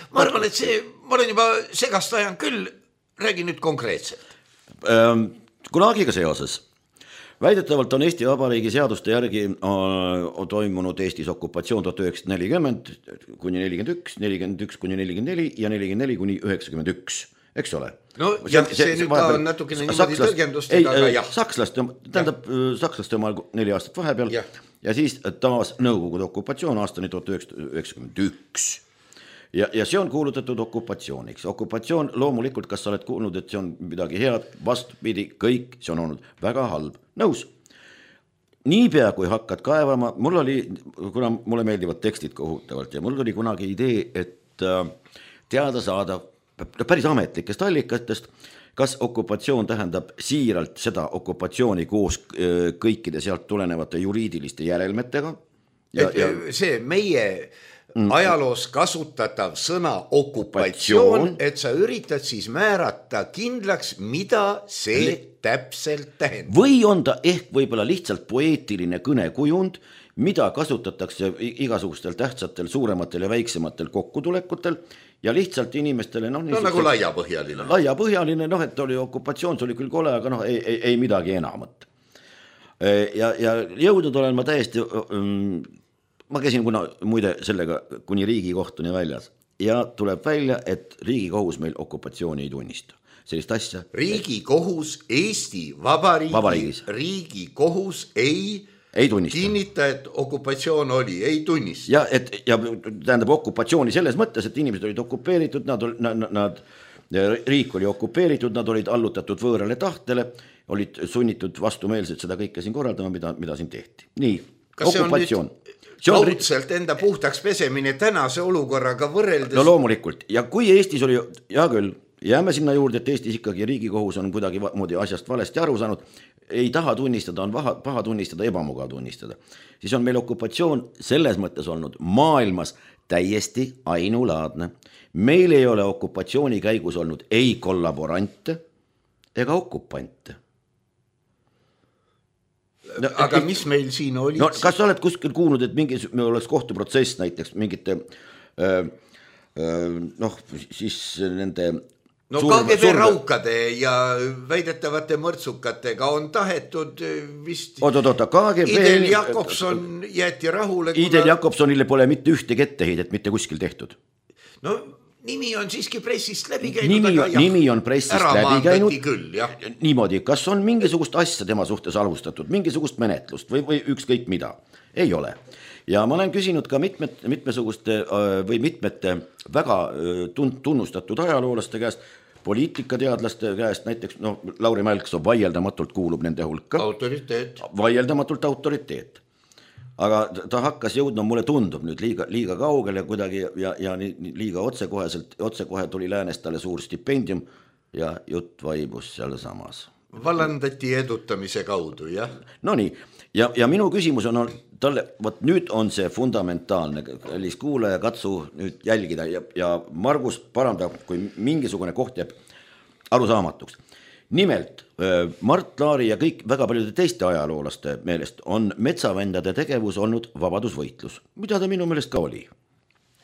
ma arvan, et see, ma olen juba segast ajan küll, räägi nüüd konkreetselt. Gulagiga seoses. Väidetavalt on Eesti Vabariigi seaduste järgi toimunud Eestis okupatsioon 1940 kuni 41, 41 kuni 44 ja 44 kuni 91, eks ole? No jah, see nüüd on natukene niimoodi tõrgendustega, aga jah. Sakslaste omal 4 aastat vahepeal ja siis taas Nõukogude okupatsioon aastani 1991. Ja see on kuulutatud okupatsiooniks. Okupatsioon loomulikult, kas sa oled kuulnud, et see on midagi head, vastupidi, kõik, see on olnud väga halb. Nõus. Niipea kui hakkad kaevama, kuna mulle meeldivad tekstid kohutavalt ja mul oli kunagi idee, et teada saada päris ametlikest allikatest, kas okupatsioon tähendab siiralt seda okupatsiooni koos kõikide sealt tulenevate juriidiliste järelmetega. See meie ajaloos kasutatav sõna okupatsioon, et sa üritad siis määrata kindlaks, mida see täpselt tähendab. Või on ta ehk võib-olla lihtsalt poeetiline kõnekujund, mida kasutatakse igasugustel tähtsatel, suurematel ja väiksematel kokkutulekutel ja lihtsalt inimestele... No nagu laiapõhjaline. Laiapõhjaline, et oli okupatsioon, see oli küll kole, aga ei midagi enamat. Ja jõudnud olen ma täiesti... Ma käisin muide sellega kuni Riigikohtuni väljas ja tuleb välja, et Riigikohus meil okupatsiooni ei tunnista. Sellist asja. Riigikohus Eesti Vabariigis. Riigikohus ei kinnita, et okupatsioon oli, ei tunnista. Ja tähendab okupatsiooni selles mõttes, et inimesed olid okupeeritud, riik oli okupeeritud, nad olid allutatud võõrale tahtele, olid sunnitud vastumeelselt seda kõike siin korraldama, mida siin tehti. Nii, okupatsioon. Kaudselt enda puhtaks pesemine tänase olukorraga võrreldes. No loomulikult. Ja kui Eestis oli, ja küll, jääme sinna juurde, et Eestis ikkagi Riigikohus on kuidagi moodi asjast valesti aru saanud, ei taha tunnistada, on paha tunnistada, ebamugav tunnistada. Siis on meil okupatsioon selles mõttes olnud maailmas täiesti ainulaadne. Meil ei ole okupatsiooni käigus olnud ei kollaborante ega okupante. No, aga mis meil siin oli? No, kas sa oled kuskil kuulnud, et me oleks kohtuprotsess näiteks mingite siis nende KGB raukade ja väidetavate mõrtsukatega on tahetud vist Idel Jakobson jäeti rahule. Idel Jakobsonile pole mitte ühtegi etteheidet mitte kuskil tehtud. No nimi on siiski pressist läbi käinud. Nimi on pressist läbi käinud. Küll, niimoodi, kas on mingisugust asja tema suhtes alustatud, mingisugust menetlust või ükskõik mida? Ei ole. Ja ma olen küsinud ka mitmesuguste või mitmete väga tunnustatud ajaloolaste käest, poliitikateadlaste käest, näiteks Lauri Mälksoo vaieldamatult kuulub nende hulka. Autoriteet. Vaieldamatult autoriteet. aga ta hakkas jõudma, mulle tundub nüüd liiga kaugele kuidagi ja liiga otsekohe tuli Läänest talle suur stipendium ja jutt vaibus seal samas. Vallandati edutamise kaudu, jah? No nii, ja minu küsimus on talle, võt nüüd on see fundamentaalne, kallis kuulaja, katsu nüüd jälgida ja Margus parandab, kui mingisugune koht jääb arusaamatuks. Nimelt, Mart Laari ja kõik väga paljude teiste ajaloolaste meelest on metsavendade tegevus olnud vabadusvõitlus, mida ta minu meelest ka oli.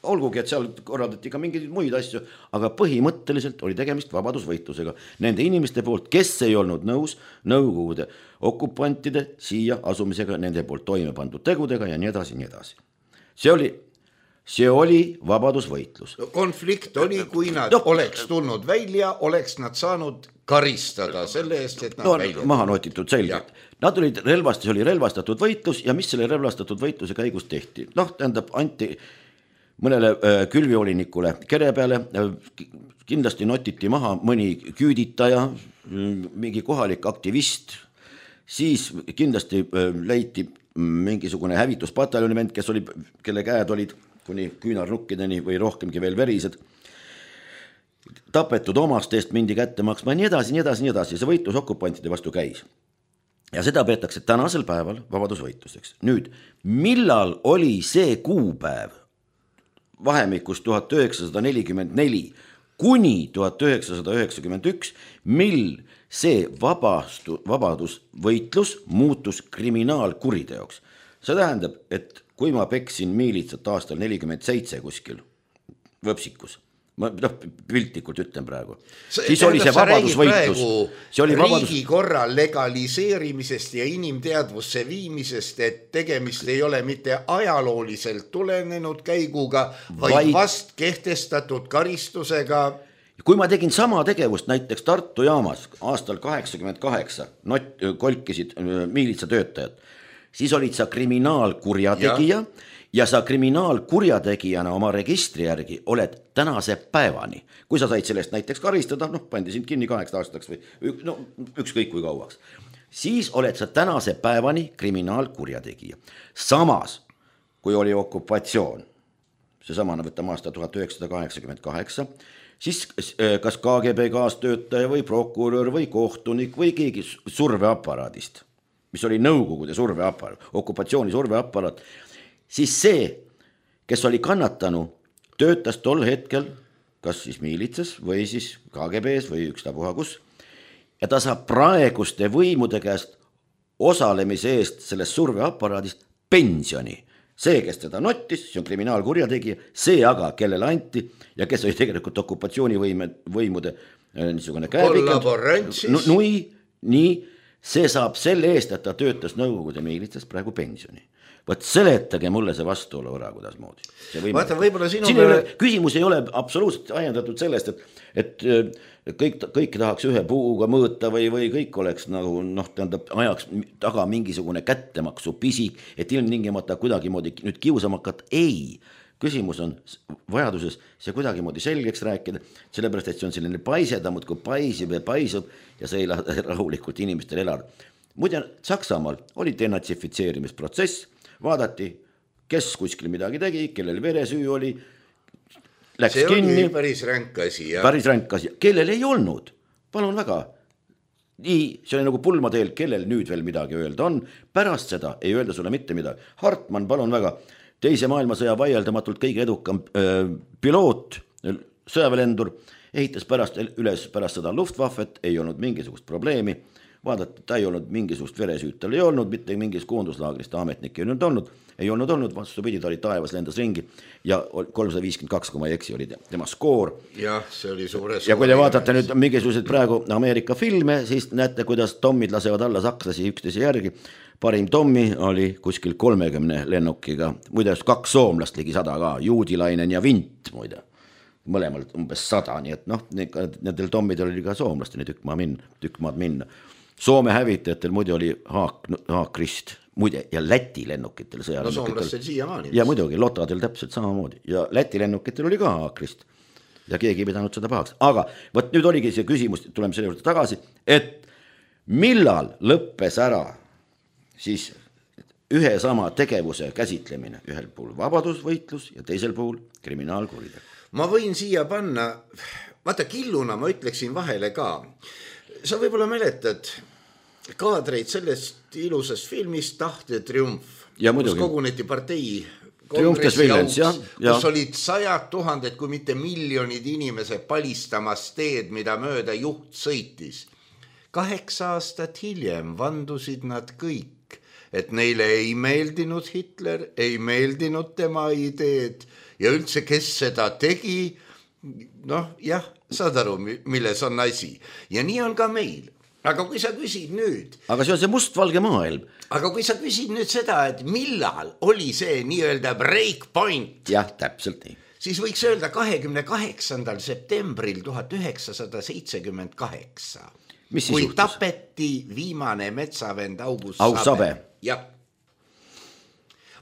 Olgugi, et seal korraldati ka mingeid muid asju, aga põhimõtteliselt oli tegemist vabadusvõitlusega nende inimeste poolt, kes ei olnud nõus Nõukogude okupantide siia asumisega, nende poolt toime pandud tegudega ja nii edasi, nii edasi. See oli vabadusvõitlus. Konflikt oli, kui nad oleks tulnud välja, oleks nad saanud karistada selle eest, et nad välja. Maha notitud selgelt. Nad olid see oli relvastatud võitlus ja mis selle relvastatud võitluse käigus tehti? Tähendab, anti mõnele külviolinikule kere peale, kindlasti notiti maha mõni küüditaja, mingi kohalik aktivist, siis kindlasti leiti mingisugune hävituspataljoni vend, kelle käed olid kuni küünarnukkideni või rohkemgi veel verised, tapetud omast eest mindi kätte maksma, nii edasi, see võitlus okupantide vastu käis. Ja seda peetakse tänasel päeval vabadusvõitluseks. Nüüd, millal oli see kuupäev vahemikus 1944 kuni 1991, mil see vabadusvõitlus muutus kriminaalkuriteoks. See tähendab, et kui ma peksin miilitsat aastal 47 kuskil võpsikus, ma piltlikult ütlen praegu, siis oli see vabadusvõitlus. Riigikorra legaliseerimisest ja inimteadvusse viimisest, et tegemist ei ole mitte ajalooliselt tulenenud käiguga, vaid vast kehtestatud karistusega. Kui ma tegin sama tegevust näiteks Tartu jaamas aastal 88, kolkisid miilitsatöötajad, siis olid sa kriminaalkurjategija ja sa kriminaalkurjategijana oma registri järgi oled tänase päevani. Kui sa said sellest näiteks karistada, pandi sind kinni 8 aastaks või ükskõik kui kauaks, siis oled sa tänase päevani kriminaalkurjategija. Samas, kui oli okupatsioon, seesamana võtame aasta 1988, siis kas KGB kaastöötaja või prokurör või kohtunik või keegi surveaparaadist, mis oli Nõukogude surveaparaat, okupatsiooni surveaparaat, siis see, kes oli kannatanu, töötas tol hetkel kas siis miilitsas või siis KGB-s või ükstapuha kus, ja ta saab praeguste võimude käest osalemise eest sellest surveaparaadist pensioni. See, kes teda nottis, see on kriminaalkurjategija, see aga, kellele anti ja kes oli tegelikult okupatsioonivõimude niisugune käepikud, nii, see saab selle eest, et ta töötas Nõukogude miilitsas praegu pensioni. Võt seletage mulle see vastuolu ära, kuidas moodi. Vaata, võib-olla küsimus ei ole absoluutselt ajendatud sellest, et kõik tahaks ühe puuga mõõta või kõik oleks nagu, tähendab, ajaks taga mingisugune kättemaksu pisik, et ilmtingimata kuidagimoodi nüüd kiusamakat. Ei, küsimus on vajaduses see kuidagimoodi selgeks rääkida, sellepärast, et see on selline paisedamud, kui paisib ja see ei lähe rahulikult inimestel elada. Muide, Saksamaal oli denatsifitseerimisprotsess, vaadati, kes kuskil midagi tegi, kellel veresüü oli, läks see kinni. See oli päris ränk asi. Päris ränk asi, kellel ei olnud, palun väga. Nii, see oli nagu pulmateel, kellel nüüd veel midagi öelda on, pärast seda ei öelda sulle mitte midagi. Hartmann, palun väga, teise maailmasõja vaieldamatult kõige edukam piloot, sõjaväelendur, ehitas pärast seda Luftwaffet, ei olnud mingisugust probleemi. Vaadata, ta ei olnud mingisugust veresüüt, tal ei olnud, mitte mingis koonduslaagrist ametnik ei olnud, vastupidi, ta oli taevas, lendas ringi ja 352, kui ma ei eksi, oli tema skoor. Jah, see oli suure ja kui te vaatate nüüd mingisugused praegu Ameerika filme, siis näete, kuidas tommid lasevad alla sakslasi üksteise järgi. Parim tommi oli kuskil 30 lennukiga, muide 2 soomlast ligi 100 ka, Juudilainen ja Vint, muide. Mõlemalt umbes 100, nii et nendel tommidel oli ka soomlasteni tükk maad minna. Soome hävitajatel muide oli Haakrist, muide, ja Läti lennukitel sõjalennukitel. Soomlastel siiamaani. Ja muidugi, Lotadel täpselt samamoodi. Ja Läti lennukitel oli ka Haakrist. Ja keegi ei pidanud seda pahaks. Aga võt nüüd oligi see küsimus, tuleme selle juurde tagasi, et millal lõppes ära siis ühe sama tegevuse käsitlemine, ühel puhul vabadusvõitlus ja teisel puhul kriminaalkuritegu. Ma võin siia panna, vaata killuna ma ütleksin vahele ka. Sa võib-olla mäletad kaadreid sellest ilusast filmist Tahte triumf, kus koguneti partei kongressi auks, kus olid 100 000, kui mitte miljonid inimesed palistamas teed, mida mööda juht sõitis. 8 aastat hiljem vandusid nad kõik, et neile ei meeldinud Hitler, ei meeldinud tema ideed ja üldse, kes seda tegi, jah, saad aru, milles on asi. Ja nii on ka meil. Aga kui sa küsid nüüd... Aga see on see mustvalge maailm. Aga kui sa küsid nüüd seda, et millal oli see nii-öelda breakpoint... Jah, täpselt nii. Siis võiks öelda 28. septembril 1978. Kui juhtus? Tapeti viimane metsavend August Sabe. Jah.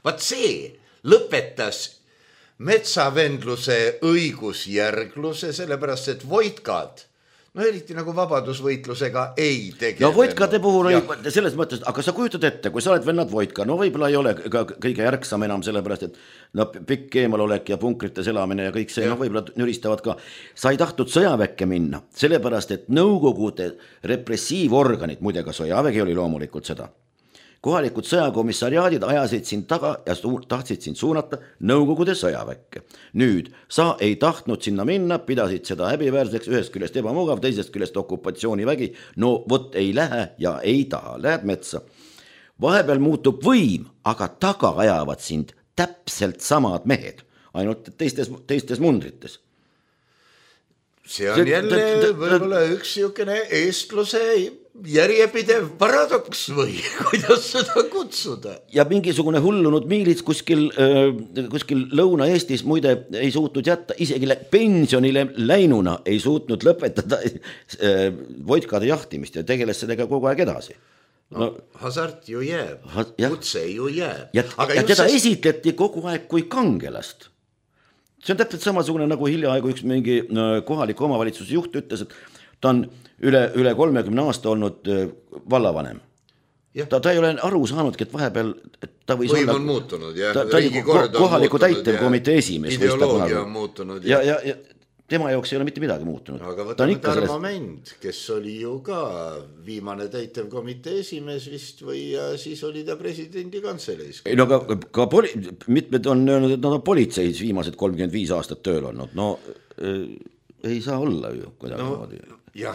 Vaat see lõpetas metsavendluse õigusjärgluse, sellepärast, et voitkad, eriti nagu vabadusvõitlusega ei tegelenud. Voitkade puhul oli selles mõttes, aga sa kujutad ette, kui sa oled vennad voitka, võib-olla ei ole ka kõige järgsam enam sellepärast, et pikk eemalolek ja punkrites elamine ja kõik see, võib-olla nüristavad ka. Sa ei tahtnud sõjaväkke minna, sellepärast, et Nõukogude repressiivorganid, muide ka sõjavägi oli loomulikult seda. Kohalikud sõjakomissariaadid ajasid sind taga ja tahtsid sind suunata Nõukogude sõjaväkke. Nüüd, sa ei tahtnud sinna minna, pidasid seda häbiväärseks, ühest küljest ebamugav, teisest küljest okupatsioonivägi. Vot ei lähe ja ei taha, lähed metsa. Vahepeal muutub võim, aga taga ajavad sind täpselt samad mehed, ainult teistes mundrites. See on jälle võib-olla üks siukene eestluse järjepidev paradoks või kuidas seda kutsuda. Ja mingisugune hullunud miilits kuskil Lõuna-Eestis muide ei suutnud jätta, isegi pensionile läinuna ei suutnud lõpetada voitkade jahtimist ja tegeles sellega kogu aeg edasi. Hasart ju jääb, kutse ju jääb. Ja teda esitleti kogu aeg kui kangelast. See on täpselt samasugune nagu hiljaaegu üks mingi kohaliku omavalitsuse juht ütles, et ta on üle 30 aasta olnud vallavanem. Ta ei ole aru saanudki, et vahepeal ta võis võim on muutunud. Ta oli kohaliku täitevkomitee esimees. Ideoloogia on muutunud. Ja tema jaoks ei ole mitte midagi muutunud. Aga võtame Tarmo Mend, kes oli ju ka viimane täitevkomitee esimees vist või siis oli ta presidendi kantseleis. No ka mitmed on öelnud, et nad on politseis viimased 35 aastat tööl olnud. Ei saa olla ju kuidagi.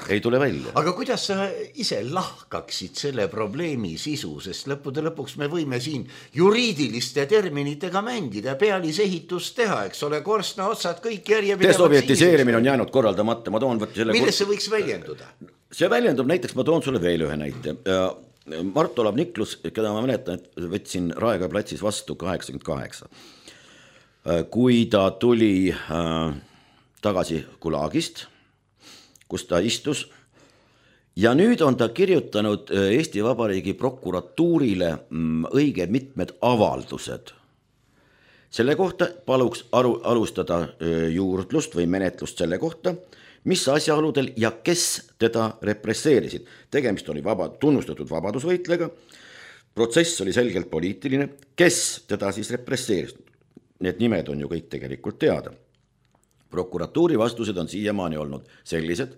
Ei tule välja. Aga kuidas sa ise lahkaksid selle probleemi sisu, sest lõppude lõpuks me võime siin juriidiliste terminitega mängida, pealisehitust teha, eks ole, korstna otsad kõik järjepidevalt. Desovietiseerimine on jäänud korraldamata. Milles see võiks väljenduda? See väljendub näiteks, ma toon sulle veel ühe näite. Mart Olav Niklus, keda ma mäletan, et võtsin Raekoja platsis vastu 88. Kui ta tuli tagasi Gulagist, kus ta istus ja nüüd on ta kirjutanud Eesti Vabariigi prokuratuurile õige mitmed avaldused. Selle kohta paluks alustada juurdlust või menetlust selle kohta, mis asjaoludel ja kes teda represseerisid. Tegemist oli tunnustatud vabadusvõitlega, protsess oli selgelt poliitiline, kes teda siis represseeris. Need nimed on ju kõik tegelikult teada. Prokuratuuri vastused on siiamaani olnud sellised.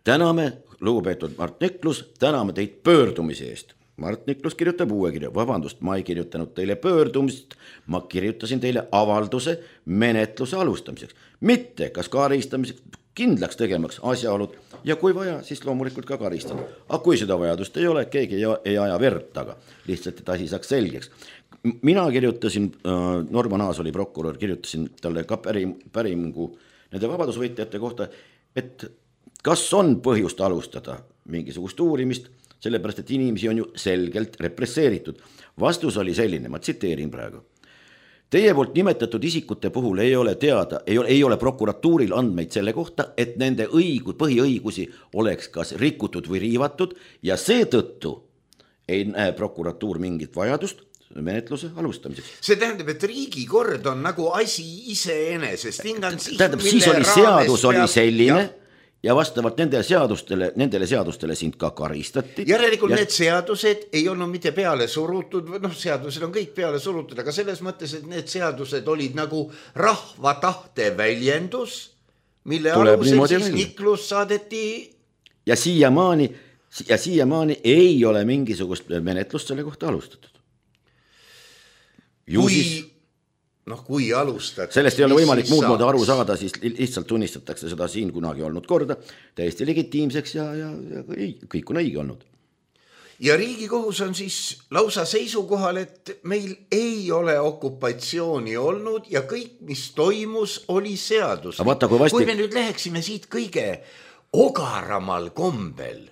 Täname, lugupeetud Mart Niklus, täname teid pöördumise eest. Mart Niklus kirjutab uue kirja. Vabandust, ma ei kirjutanud teile pöördumist, ma kirjutasin teile avalduse menetluse alustamiseks. Mitte kas karistamiseks, kindlaks tegemaks asjaolud ja kui vaja, siis loomulikult ka karistada. Aga kui seda vajadust ei ole, keegi ei aja verd taga. Lihtsalt, et asi saaks selgeks. Mina kirjutasin, Norman Aas oli prokurör, kirjutasin talle ka päringu nende vabadusvõitjate kohta, et kas on põhjust alustada mingisugust uurimist, sellepärast, et inimesi on ju selgelt represseeritud. Vastus oli selline, ma tsiteerin praegu. Teie poolt nimetatud isikute puhul ei ole teada, ei ole prokuratuuril andmeid selle kohta, et nende põhiõigusi oleks kas rikutud või riivatud ja seetõttu ei näe prokuratuur mingit vajadust menetluse alustamiseks. See tähendab, et riigikord on nagu asi iseenesest. Tähendab, siis oli seadus oli selline ja vastavalt nendele seadustele sind ka karistati. Järelikult need seadused ei olnud mitte peale surutud, seadused on kõik peale surutud, aga selles mõttes, et need seadused olid nagu rahva tahte väljendus, mille alusel siis Niklus saadeti. Ja siiamaani ei ole mingisugust menetlust selle kohta alustatud. Kui alustada. Sellest ei ole võimalik muud moodi aru saada, siis lihtsalt tunnistatakse seda siin kunagi olnud korda täiesti legitiimseks ja kõik on õige olnud. Ja Riigikohus on siis lausa seisukohal, et meil ei ole okupatsiooni olnud ja kõik, mis toimus, oli seadus. Kui me nüüd läheksime siit kõige ogaramal kombel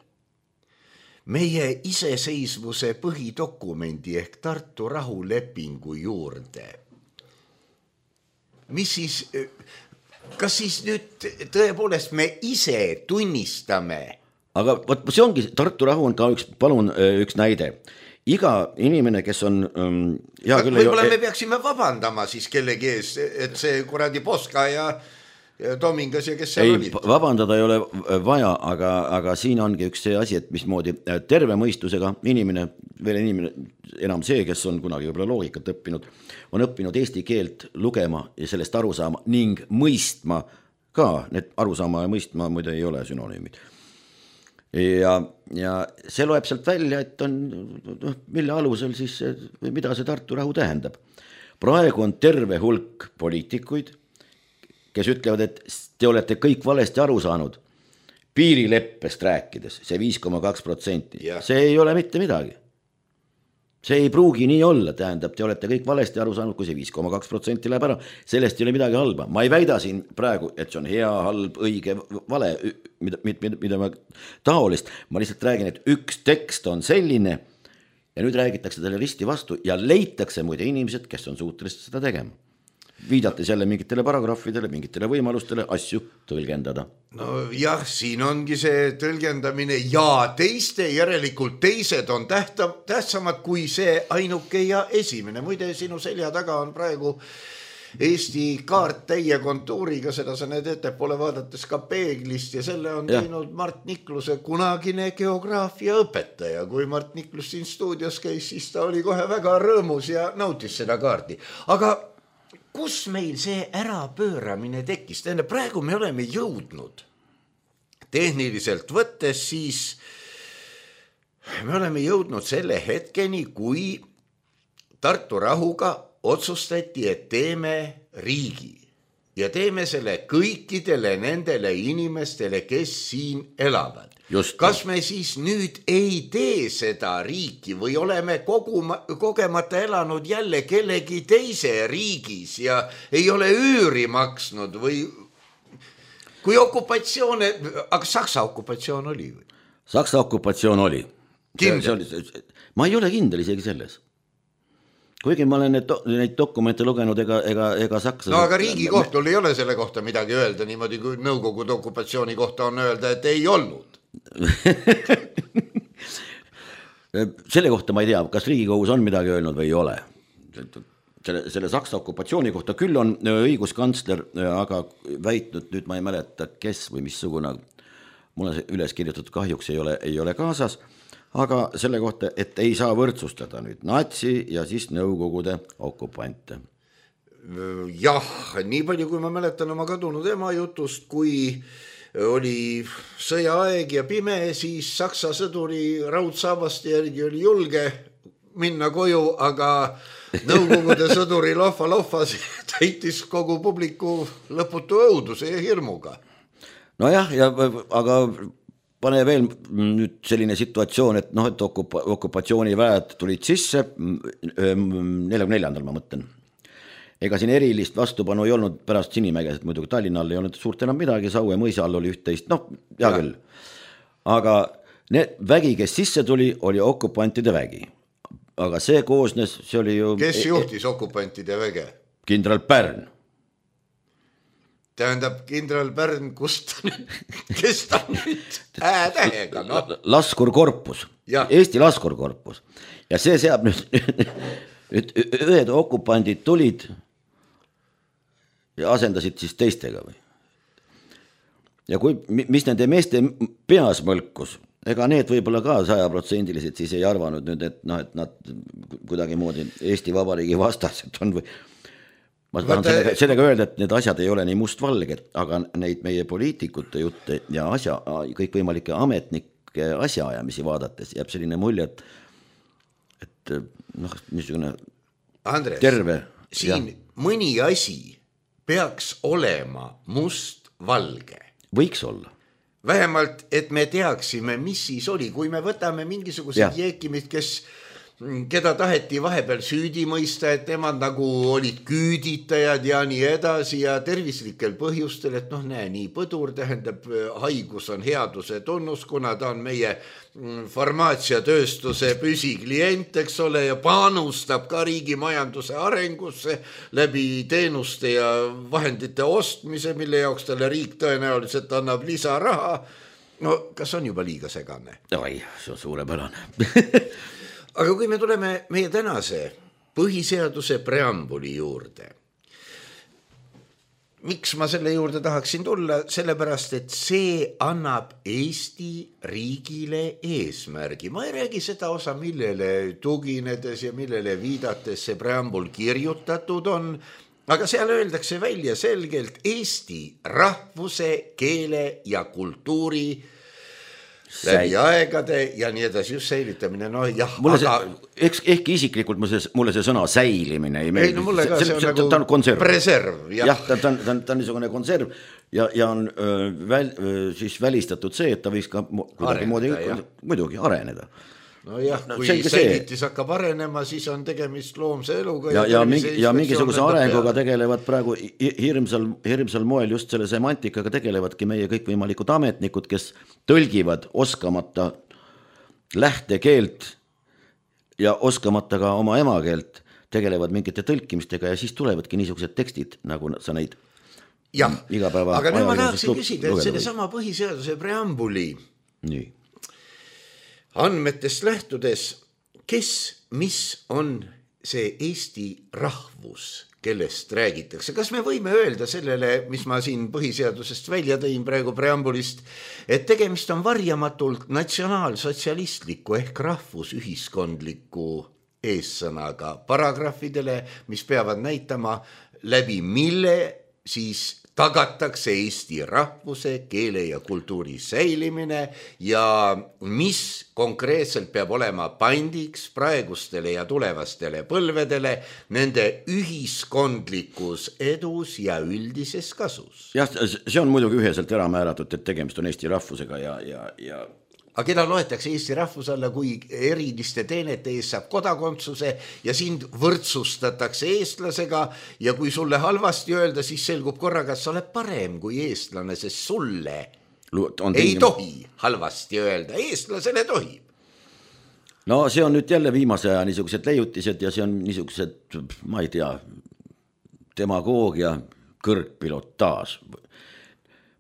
meie iseseisvuse põhidokumendi ehk Tartu rahulepingu juurde, mis siis, kas siis nüüd tõepoolest me ise tunnistame? Aga see ongi, Tartu rahu on ka üks näide. Iga inimene, kes on võib-olla me peaksime vabandama siis kellegi ees, et see kuradi Poska ja Tomingas ja kes seal olid. Vabandada ei ole vaja, aga siin ongi üks see asi, et mismoodi terve mõistusega inimene, enam see, kes on kunagi võib-olla loogikat õppinud, on õppinud eesti keelt lugema ja sellest aru saama ning mõistma ka. Need aru saama ja mõistma muide ei ole sünonüümid. Ja see loeb sealt välja, et on, mille alusel siis, mida see Tartu rahu tähendab. Praegu on terve hulk poliitikuid, kes ütlevad, et te olete kõik valesti aru saanud piirileppest rääkides, see 5,2%. See ei ole mitte midagi. See ei pruugi nii olla, tähendab, te olete kõik valesti aru saanud, kui see 5,2% läheb ära. Sellest ei ole midagi halba. Ma ei väida siin praegu, et see on hea, halb, õige, vale, mida ma taolist. Ma lihtsalt räägin, et üks tekst on selline ja nüüd räägitakse talle risti vastu ja leitakse muide inimesed, kes on suutelised seda tegema. Viidates jälle mingitele paragrahvidele, mingitele võimalustele asju tõlgendada. No jah, siin ongi see tõlgendamine ja järelikult teised on tähtsamad kui see ainuke ja esimene. Muide, sinu selja taga on praegu Eesti kaart täie kontuuriga, seda sa need ettepoole vaadates ka peeglist ja selle on teinud Mart Nikluse kunagine geograafia õpetaja. Kui Mart Niklus siin stuudios käis, siis ta oli kohe väga rõõmus ja nautis seda kaardi. Aga kus meil see ärapööramine tekkis? Praegu me oleme jõudnud tehniliselt võttes, siis me oleme jõudnud selle hetkeni, kui Tartu rahuga otsustati, et teeme riigi ja teeme selle kõikidele nendele inimestele, kes siin elavad. Kas me siis nüüd ei tee seda riiki või oleme kogemata elanud jälle kellegi teise riigis ja ei ole üüri maksnud või kui okupatsioone, aga Saksa okupatsioon oli või? Saksa okupatsioon oli. Kindel? Ma ei ole kindel isegi selles. Kuigi ma olen neid dokumente lugenud ega Saksa... No aga Riigikohtul ei ole selle kohta midagi öelda, niimoodi kui Nõukogude okupatsiooni kohta on öelda, et ei olnud. Selle kohta ma ei tea, kas Riigikohus on midagi öelnud või ei ole. Selle Saksa okupatsiooni kohta küll on õiguskantsler, aga väitnud, nüüd ma ei mäleta, kes või missugune, mul on üles kirjutatud kahjuks ei ole kaasas, aga selle kohta, et ei saa võrdsustada nüüd natsi ja siis Nõukogude okupante. Jah, nii palju kui ma mäletan oma kadunud ema jutust, kui oli sõjaaeg ja pime, siis Saksa sõduri raudsaavaste järgi oli julge minna koju, aga Nõukogude sõduri lohva täitis kogu publiku lõputu õuduse ja hirmuga. Nojah, aga pane veel nüüd selline situatsioon, et et okupatsiooniväed tulid sisse 44. ma mõtlen. Ega siin erilist vastupanu ei olnud pärast Sinimäges, et muidugi Tallinnal ei olnud suurt enam midagi, Saue mõisa all oli üht-teist, hea küll. Aga vägi, kes sisse tuli, oli okupantide vägi. Aga see koosnes, see oli ju... Kes juhtis okupantide väge? Kindral Pärn. Tähendab, kindral Pärn, kes ta nüüd tähega, Laskurkorpus, Eesti Laskurkorpus. Ja see seab nüüd ühed okupandid tulid ja asendasid siis teistega või. ja kui, mis nende meeste peas mõlkus, ega need võib-olla ka 100% siis ei arvanud nüüd, et noh, et nad kuidagi moodi Eesti Vabariigi vastased on või ma tahan sellega öelda, et need asjad ei ole nii mustvalged, aga neid meie poliitikute jutte ja kõikvõimalike ametnike asjaajamisi vaadates jääb selline mulje, et noh, niisugune Andres, terve siin mõni asi peaks olema mustvalge. Võiks olla. Vähemalt, et me teaksime, mis siis oli, kui me võtame mingisugused jeekimid, keda taheti vahepeal süüdi mõista, et nemad nagu olid küüditajad ja nii edasi ja tervislikel põhjustel, et noh, näe, nii põdur tähendab, haigus on headuse tunnus, kuna ta on meie farmaatsiatööstuse püsiklient, eks ole, ja panustab ka riigi majanduse arengusse läbi teenuste ja vahendite ostmise, mille jaoks talle riik tõenäoliselt annab lisaraha. No kas on juba liiga segane? Oi, see on suurepärane. Aga kui me tuleme meie tänase põhiseaduse preambuli juurde, miks ma selle juurde tahaksin tulla? Sellepärast, et see annab Eesti riigile eesmärgi. Ma ei räägi seda osa, millele tuginedes ja millele viidates see preambul kirjutatud on, aga seal öeldakse välja selgelt Eesti rahvuse, keele ja kultuuri läbi aegade ja nii edasi, just säilitamine, no jah. Ehkki isiklikult mulle see sõna säilimine ei meeldi. Ei, no mulle ka see on nagu konserv. Preserv. Jah, ta on niisugune konserv ja on siis välistatud see, et ta võiks ka muidugi areneda. No jah, kui säilitis hakkab arenema, siis on tegemist loomse eluga. Ja mingisuguse arenguga tegelevad praegu hirmsal moel just selle semantikaga tegelevadki meie kõikvõimalikud ametnikud, kes tõlgivad oskamata lähtekeelt ja oskamata ka oma emakeelt, tegelevad mingite tõlkimistega ja siis tulevadki niisugused tekstid, nagu sa neid igapäeva. Aga nüüd ma tahaksin küsida, et selle sama põhiseaduse preambuli andmetest lähtudes, mis on see Eesti rahvus, kellest räägitakse? Kas me võime öelda sellele, mis ma siin põhiseadusest välja tõin praegu preambulist, et tegemist on varjamatult natsionaalsotsialistliku ehk rahvusühiskondliku eessõnaga paragrahvidele, mis peavad näitama, läbi mille siis tagatakse Eesti rahvuse, keele ja kultuuri säilimine ja mis konkreetselt peab olema pandiks praegustele ja tulevastele põlvedele nende ühiskondlikus edus ja üldises kasus. Jah, see on muidugi üheselt ära määratud, et tegemist on Eesti rahvusega ja aga keda loetakse Eesti rahvuse alla, kui eriliste teenete ees saab kodakondsuse ja sind võrdsustatakse eestlasega ja kui sulle halvasti öelda, siis selgub korraga, et sa oled parem kui eestlane, sest sulle ei tohi halvasti öelda, eestlasele tohib. No see on nüüd jälle viimase aja niisugused leiutised ja see on niisugused, ma ei tea, demagoogia kõrgpilotaaž.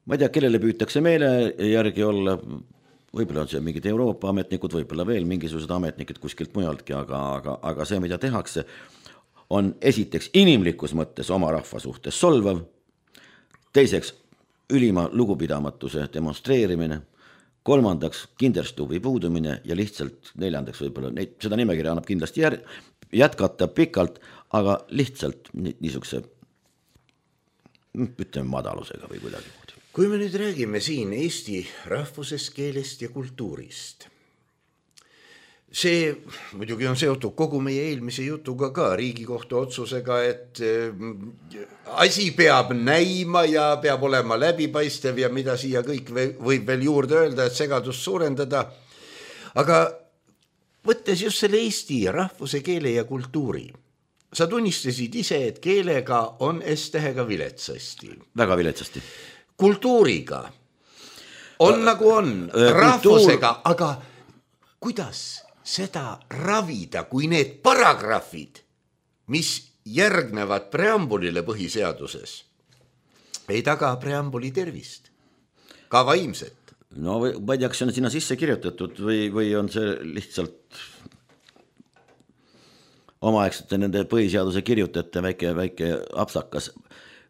Ma ei tea, kellele püütakse meele järgi olla, võib-olla on see mingid Euroopa ametnikud, võib-olla veel mingisugused ametnikud kuskilt mujaltki, aga see, mida tehakse, on esiteks inimlikus mõttes oma rahva suhtes solvav, teiseks ülima lugupidamatuse demonstreerimine, kolmandaks kinderstuvi puudumine ja lihtsalt neljandaks võib-olla, seda nimekirja annab kindlasti jätkata pikalt, aga lihtsalt niisuguse, ütleme, madalusega või kuidagi. Kui me nüüd räägime siin Eesti rahvusest, keelest ja kultuurist, see muidugi on seotud kogu meie eelmise jutuga ka Riigikohtu otsusega, et asi peab näima ja peab olema läbipaistev ja mida siia kõik võib veel juurde öelda, et segadust suurendada. Aga võttes just selle Eesti rahvuse, keele ja kultuuri, sa tunnistasid ise, et keelega on S-tähega viletsasti. Väga viletsasti. Kultuuriga on nagu on, rahvusega, aga kuidas seda ravida, kui need paragrahvid, mis järgnevad preambulile põhiseaduses, ei taga preambuli tervist, ka vaimset? No ma ei tea, kas see on sinna sisse kirjutatud või on see lihtsalt omaaegsete nende põhiseaduse kirjutajate väike apsakas.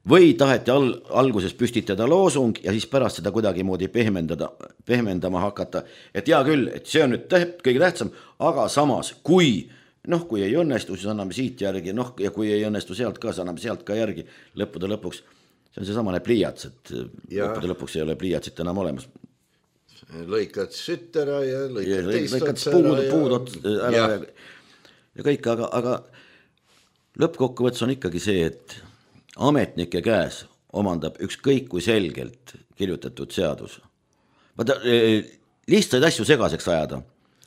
või taheti alguses püstitada loosung ja siis pärast seda kuidagi moodi pehmendama hakata, et hea küll, et see on nüüd kõige tähtsam, aga samas, kui ei õnnestu, siis anname siit järgi, ja kui ei õnnestu sealt ka, siis anname sealt ka järgi, lõppude lõpuks, see on see samane pliiats, et lõppude lõpuks ei ole pliiatsit enam olemas. Lõikad sütt ära ja lõikad teist otsa ära ja kõik, aga lõppkokkuvõttes on ikkagi see, et ametnike käes omandab ükskõik kui selgelt kirjutatud seadus. Lihtsaid asju segaseks ajada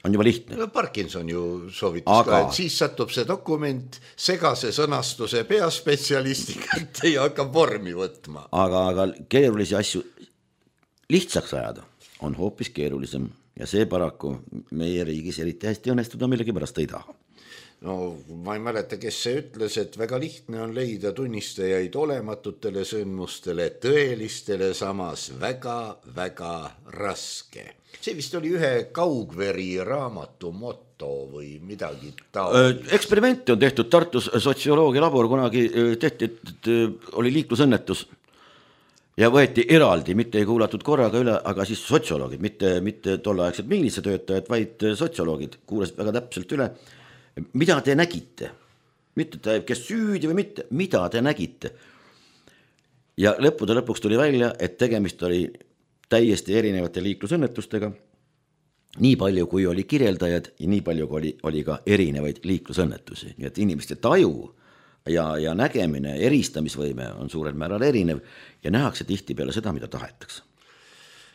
on juba lihtne. No Parkinson ju soovitas ka, et siis satub see dokument segase sõnastuse peaspetsialisti kätte ja hakkab vormi võtma. Aga keerulisi asju lihtsaks ajada on hoopis keerulisem ja see paraku meie riigis eriti hästi õnnestuda millegi pärast ei taha. No ma ei mäleta, kes see ütles, et väga lihtne on leida tunnistajaid olematutele sündmustele, tõelistele samas väga raske. See vist oli ühe Kaugveri raamatu motto või midagi taolist. Eksperimenti on tehtud Tartus sotsioloogia labor, kunagi tehti, et oli liiklusõnnetus ja võeti eraldi, mitte ei kuulatud korraga üle, aga siis sotsioloogid, mitte tolleaegsed miilitsiatöötajad, vaid sotsioloogid kuulasid väga täpselt üle. Mida te nägite? Mitte kes süüdi või mitte, mida te nägite? Ja lõppude lõpuks tuli välja, et tegemist oli täiesti erinevate liiklusõnnetustega. Nii palju, kui oli kirjeldajad ja nii palju, kui oli ka erinevaid liiklusõnnetusi. Nii et inimeste taju ja nägemine, eristamisvõime on suurel määral erinev ja nähakse tihti peale seda, mida tahetakse.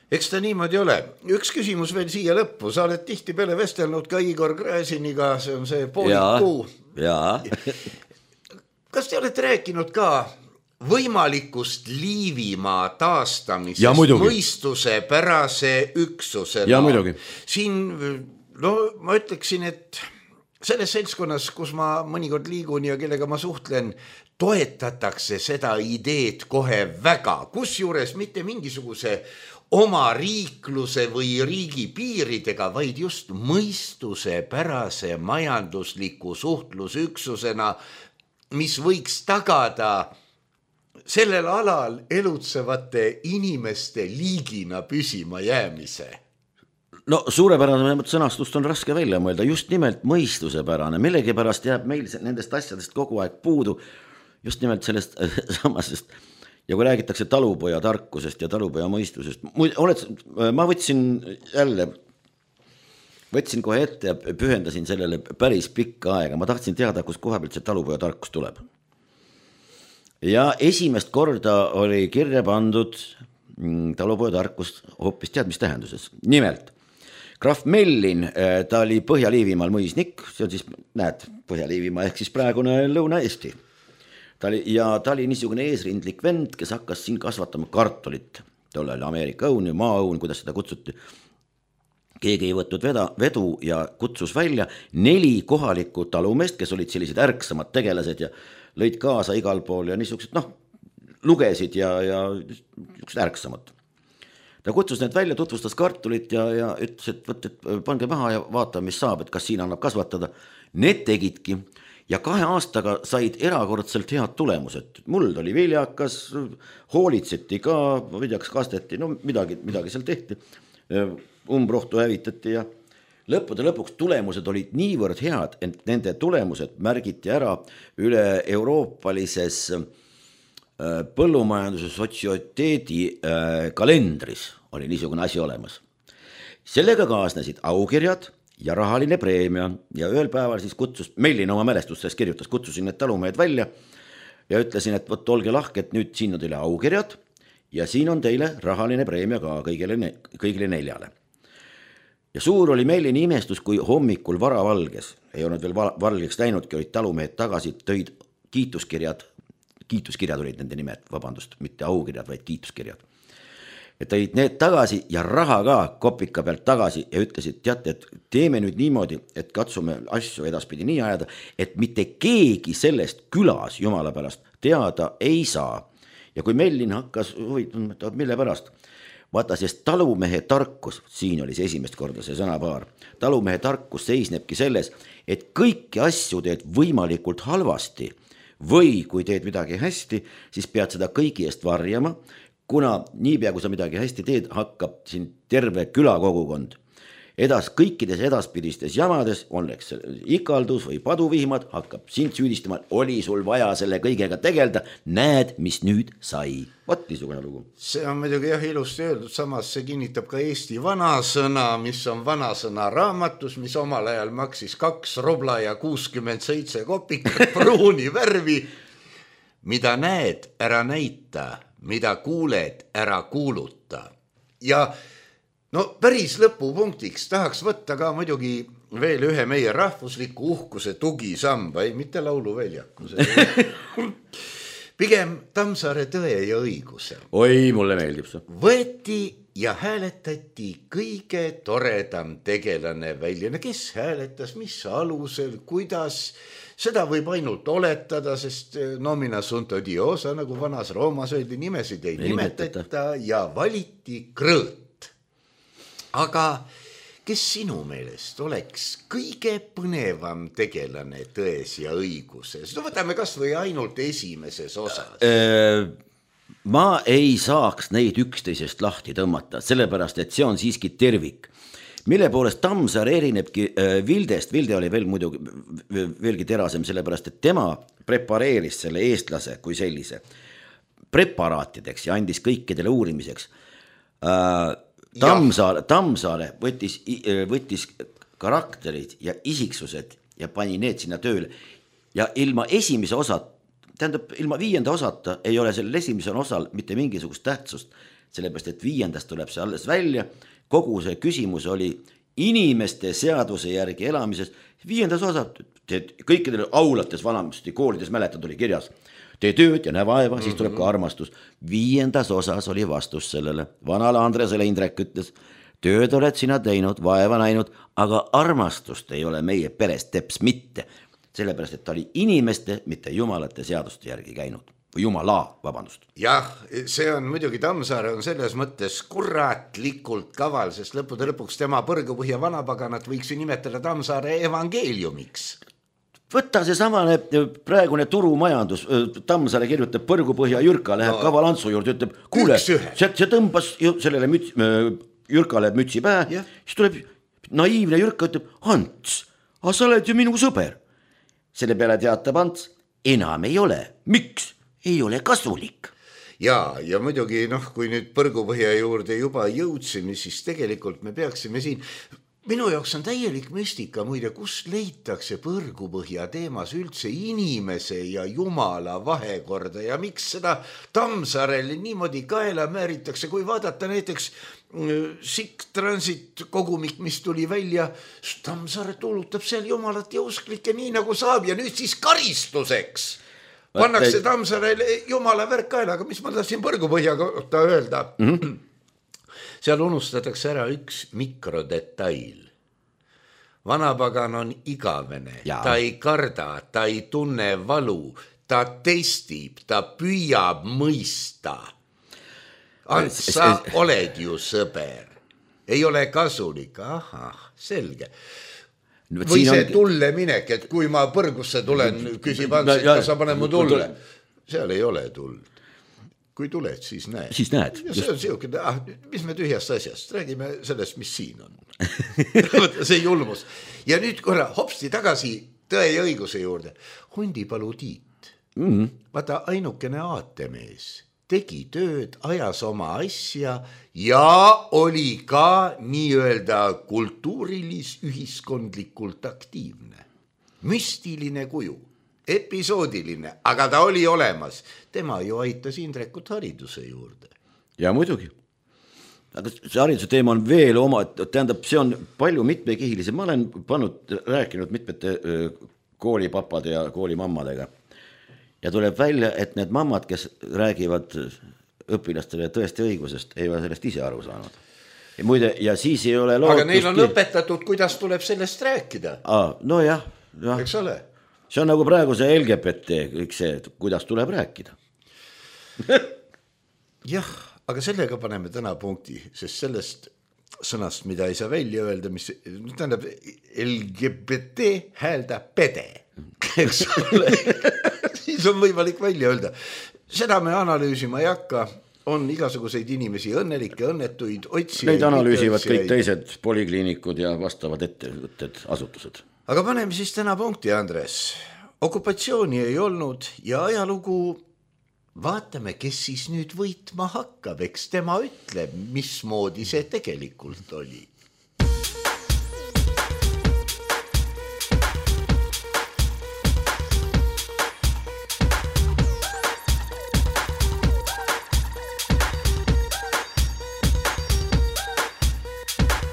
Eks ta niimoodi ole. Üks küsimus veel siia lõppu. Sa oled tihti peale vestelnud ka Igor Gräziniga, see on see poolikuu. Jaa. Kas te olete rääkinud ka võimalikust Liivimaa taastamisest mõistuse pärase üksusena? Ja muidugi. Siin, ma ütleksin, et selles seltskonnas, kus ma mõnikord liigun ja kellega ma suhtlen, toetatakse seda ideed kohe väga, kusjuures mitte mingisuguse oma riikluse või riigi piiridega, vaid just mõistuse pärase majandusliku suhtlusüksusena, mis võiks tagada sellel alal elutsevate inimeste liigina püsima jäämise. No suurepärane sõnastust on raske välja mõelda, just nimelt mõistusepärane, millegipärast jääb meil nendest asjadest kogu aeg puudu, just nimelt sellest samasest. Ja kui räägitakse talupoja tarkusest ja talupoja mõistusest, ma võtsin kohe ette ja pühendasin sellele päris pikka aega. Ma tahtsin teada, kus koha pealt see talupoja tarkus tuleb. Ja esimest korda oli kirja pandud talupoja tarkust hoopis tead mis tähenduses. Nimelt, Graf Mellin, ta oli Põhja-Liivimaal mõisnik, see on siis, näed, Põhja-Liivimaa ehk siis praegune Lõuna-Eesti. Ta oli niisugune eesrindlik vend, kes hakkas siin kasvatama kartulit. Tolle oli Ameerika õun, maaõun, kuidas seda kutsuti. Keegi ei võtnud vedu ja kutsus välja 4 kohalikku talumeest, kes olid sellised ärksamad tegelased ja lõid kaasa igal pool ja niisugused, lugesid ja niisugused ärksamad. Ta kutsus need välja, tutvustas kartulit ja ütles, et pange maha ja vaata, mis saab, et kas siin annab kasvatada. Need tegidki. Ja 2 aastaga said erakordselt head tulemused. Muld oli viljakas, hoolitseti ka, kas kasteti, midagi seal tehti. Umbrohtu hävitati ja lõppude lõpuks tulemused olid niivõrd head, et nende tulemused märgiti ära üle euroopalises põllumajanduse sotsiateedi kalendris oli niisugune asi olemas. Sellega kaasnesid aukirjad ja rahaline preemia ja ühel päeval siis Mellin oma mälestustes kirjutas, kutsusin need talumehed välja ja ütlesin, et olge lahke, et nüüd siin on teile aukirjad ja siin on teile rahaline preemia ka kõigile 4. Ja suur oli Mellini imestus, kui hommikul varavalges, ei olnud veel valgeks läinudki, olid talumehed tagasi, tõid kiituskirjad olid nende nimed, mitte aukirjad, vaid kiituskirjad. Et tõid need tagasi ja raha ka kopika pealt tagasi ja ütlesid, teate, et teeme nüüd niimoodi, et katsume asju edaspidi nii ajada, et mitte keegi sellest külas jumala pärast teada ei saa. Ja kui Mellin hakkas mille pärast, vaata, sest talumehe tarkus, siin oli see esimest korda see sõnapaar, talumehe tarkus seisnebki selles, et kõiki asju teed võimalikult halvasti või kui teed midagi hästi, siis pead seda kõigi eest varjama, kuna niipea, kui sa midagi hästi teed, hakkab siin terve külakogukond. Kõikides edaspidistes jamades, oleks ikaldus või paduvihmad, hakkab sind süüdistama, oli sul vaja selle kõigega tegelda, näed, mis nüüd sai. Vot niisugune lugu. See on muidugi jah ilusti öeldud, samas see kinnitab ka Eesti vanasõna, mis on vanasõna raamatus, mis omal ajal maksis 2 rubla ja 67 kopikat pruuni värvi. Mida näed, ära näita, mida kuuled, ära kuuluta. Ja no päris lõpupunktiks tahaks võtta ka muidugi veel ühe meie rahvusliku uhkuse tugisamba, ei mitte lauluväljaku. Pigem Tammsaare Tõe ja õiguse. Oi, mulle meeldib see. Võeti ja hääletati kõige toredam tegelane välja. Kes hääletas, mis alusel, kuidas, seda võib ainult oletada, sest nomina sunt odiosa, nagu vanas Roomas öeldi, nimesid ei nimetata ja valiti Krõõt. Aga kes sinu meelest oleks kõige põnevam tegelane Tões ja õiguses? No võtame kas või ainult esimeses osas. Ma ei saaks neid üksteisest lahti tõmmata, sellepärast, et see on siiski tervik. Mille poolest Tammsaare erinebki Vildest, Vilde oli veel muidugi veelgi terasem, sellepärast, et tema prepareeris selle eestlase kui sellise preparaatideks ja andis kõikidele uurimiseks. Tammsaare võttis karakterid ja isiksused ja pani need sinna tööle ja ilma esimese osat, tähendab ilma 5. osata ei ole sellel esimesel osal mitte mingisugust tähtsust, sellepärast et 5. tuleb see alles välja, kogu see küsimus oli inimeste seaduse järgi elamises, 5. osa, kõikidele aulates vanamasti koolides mäletad oli kirjas, tee tööd ja näe vaeva, siis tuleb ka armastus. 5. osas oli vastus sellele. Vanale Andresele Indrek ütles, tööd oled sina teinud, vaeva näinud, aga armastust ei ole meie peres teps mitte. Sellepärast, et ta oli inimeste, mitte jumalate seaduste järgi käinud. Või jumala, vabandust. Jah, see on muidugi Tammsaare on selles mõttes kuratlikult kaval, sest lõpuks tema Põrgupõhja vanapaganat võiks ju nimetada Tammsaare evangeeliumiks. Võtta see samane praegune turumajandus, Tammsaare kirjutab Põrgupõhja Jürka, läheb Kaval Antsu juurde, ütleb, kuule, see tõmbas sellele Jürkale mütsi pähe, siis tuleb naiivne Jürka, ütleb, Ants, aga sa oled ju minu sõber. Selle peale teatab Ants, enam ei ole. Miks? Ei ole kasulik. Ja muidugi, kui nüüd Põrgupõhja juurde juba jõudsime, siis tegelikult me peaksime siin... Minu jaoks on täielik müstika muide, kus leitakse Põrgupõhja teemas üldse inimese ja jumala vahekorda ja miks seda Tammsaarel niimoodi kaela määritakse, kui vaadata näiteks Sikk Transit kogumik, mis tuli välja, Tammsaare tuulutab seal jumalat ja usklikke nii nagu saab ja nüüd siis karistuseks pannakse Tammsaarel jumala värk kaela, aga mis ma tahtsin Põrgupõhja kohta öelda? Seal unustatakse ära üks mikrodetail. Vanapagan on igavene, ta ei karda, ta ei tunne valu, ta testib, ta püüab mõista. Ants, sa oled ju sõber, ei ole kasulik, selge. Või see tulle minek, et kui ma Põrgusse tulen, küsib Ants, et sa pane mu tulle. Seal ei ole tuld. Kui tuled, siis näed. Siis näed. Ja see on siukene, mis me tühjast asjast, räägime sellest, mis siin on. See julmus. Ja nüüd korra hopsti tagasi Tõe ja õiguse juurde. Hundipalu Tiit. Vaata ainukene aatemees. Tegi tööd, ajas oma asja ja oli ka nii-öelda kultuurilis ühiskondlikult aktiivne. Müstiline kuju. Episoodiline, aga ta oli olemas. Tema ju aitas Indrekut hariduse juurde. Ja muidugi. Aga see hariduse teema on veel oma, tähendab, see on palju mitmekihilise. Ma olen rääkinud mitmete koolipapade ja koolimammadega. Ja tuleb välja, et need mammad, kes räägivad õpilastele tõesti õigusest, ei ole sellest ise aru saanud. Ja muide, ja siis ei ole lootust... Aga neil on õpetatud, kuidas tuleb sellest rääkida. No jah. Eks ole? See on nagu praegu see LGBT, kõik see, kuidas tuleb rääkida. Jah, aga sellega paneme täna punkti, sest sellest sõnast, mida ei saa välja öelda, mis tähendab LGBT häälda pede. Eks ole? siis on võimalik välja öelda. Seda me analüüsima ei hakka, on igasuguseid inimesi õnnelikke, õnnetuid, otsijaid. Neid analüüsivad kõik teised polikliinikud ja vastavad ettevõtted, asutused. Aga paneme siis täna punkti, Andres. Okupatsiooni ei olnud ja ajalugu vaatame, kes siis nüüd võitma hakkab, eks tema ütleb, mismoodi see tegelikult oli.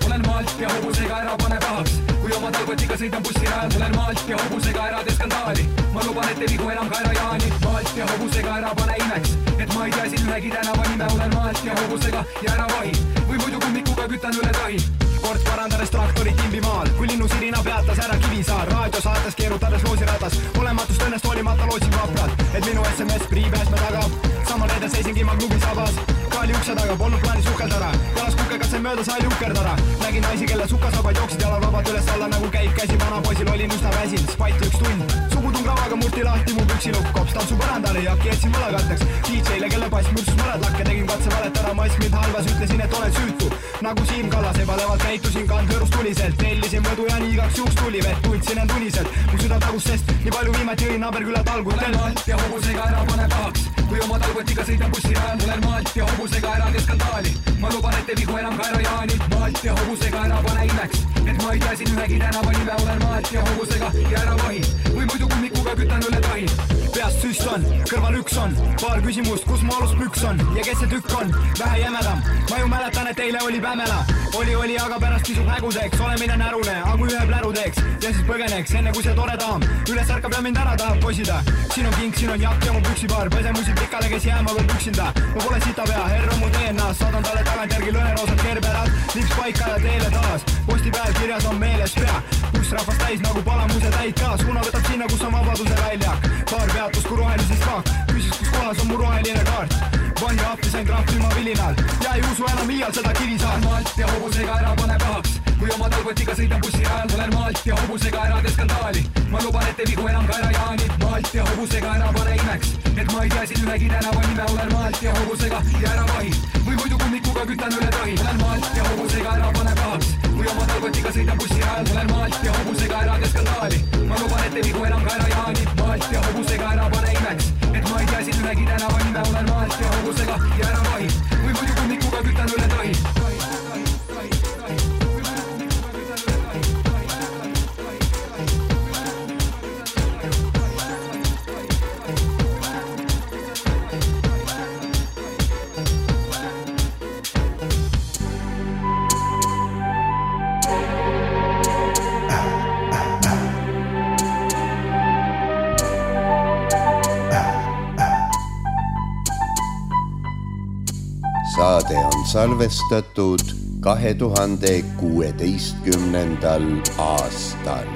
Olen maalt ja hobusega ära pane pahaks, kui oma talgotiga sõidan bussirajal. Olen maalt ja hobusega ära tee skandaali, ma luban, et ei vigu enam kaera Jaani. Maalt ja hobusega ära pane imeks, et ma ei tea siin ühegi tänava nime. Olen maalt ja hobusega ja ära vahi, või muidu kummikuga kütan üle tahi. Kord parandades traktorit Imbimaal, kui linnu sirina peatas ära Kivisaar. Raadiosaates keerutades loosiratas, olematust õnnest hoolimata lootsin vapralt, et minu SMS priipääsme taga. Samal reedel seisingi ma klubi sabas, kaali ukse taga, polnud plaani suhkeldara. Jalas kukega sai mööda, sai lukerdara. Nägin naisi, kelle sukasabad jooksid jalal vabad üles alla, nagu käib käsi. Vana poisil olin üsna väsin, spati üks tund. Sugutung ravaga murti lahti mu püksilukk, kops tantsu põrandale ja kietsin võlakatteks. DJ-le, kelle pass mürsus mõned lakke, tegin katse valetara, mass mind halvas, ütlesin, et olen süütu. Nagu Siim Kallas ebalevalt käitusin, kandhõõrus tuliselt. Tellisin mõdu ja nii igaks juuks tuli vett, tundsin end uniselt. Mu süda tagus, sest nii palju viimati õin Naberküla talgutel. Olen maalt ja hobusega ära pane pahaks, kui oma talgotiga sõidan bussirajal. Olen maalt ja hobusega ära tee skandaali, ma luban, et ei vigu enam kaera Jaani. Maalt ja hobusega ära pane imeks, et ma ei tea siin ühegi tänava nime. Olen maalt ja hobusega ja ära vahi, või muidu kummikuga kütan üle tahi. Peast süst on, kõrval üks on, paar küsimust, kus mu alus püks on ja kes see tükk on, vähe jämedam. Ma ju mäletan, et eile oli Pämela, oli, aga pärast kisub häguseks. Olemine närune, aga kui ühe pläru teeks ja siis põgeneks, enne kui see tore daam üles ärkab ja mind ära tahab poisida. Siin on king, siin on jakk ja mu püksipaar, pesemusi pikale, kes jääma veel püksinda. Ma pole sitapea, herr on mu DNA-s, saadan talle tagantjärgi lõheroosad kerberad, lips paika ja teele taas. Posti peal kirjas on meeles pea, kus rahvast täis nagu palamuse täid ka. Suuna võtab sinna, kus on vabaduse väljak, paar peatust kui rohelisest kaak. Küsis, kus kohas on mu roheline kaart, vangi appi sain trahv ilma vilinal ja ei usu enam iial seda Kivisaar. Maalt ja hobusega ära pane pahaks, kui oma talgotiga sõidan bussirajal. Olen maalt ja hobusega ära tee skandaali, ma luban, et ei vigu enam kaera Jaani. Maalt ja hobusega ära pane imeks, et ma ei tea siin ühegi tänava nime. Olen maalt ja hobusega ja ära vahi, või muidu kummikuga kütan üle tahi. Olen maalt ja hobusega ära pane pahaks, kui oma talgotiga sõidan bussirajal. Olen maalt ja hobusega ära tee skandaali, ma luban, et ei vigu enam kaera Jaani. Maalt ja hobusega ära pane imeks, et ma ei tea siin ühegi tänava nime. Olen maalt ja hobusega ja ära vahi, või muidu kummikuga kütan üle tahi. Saade on salvestatud 2016. aastal.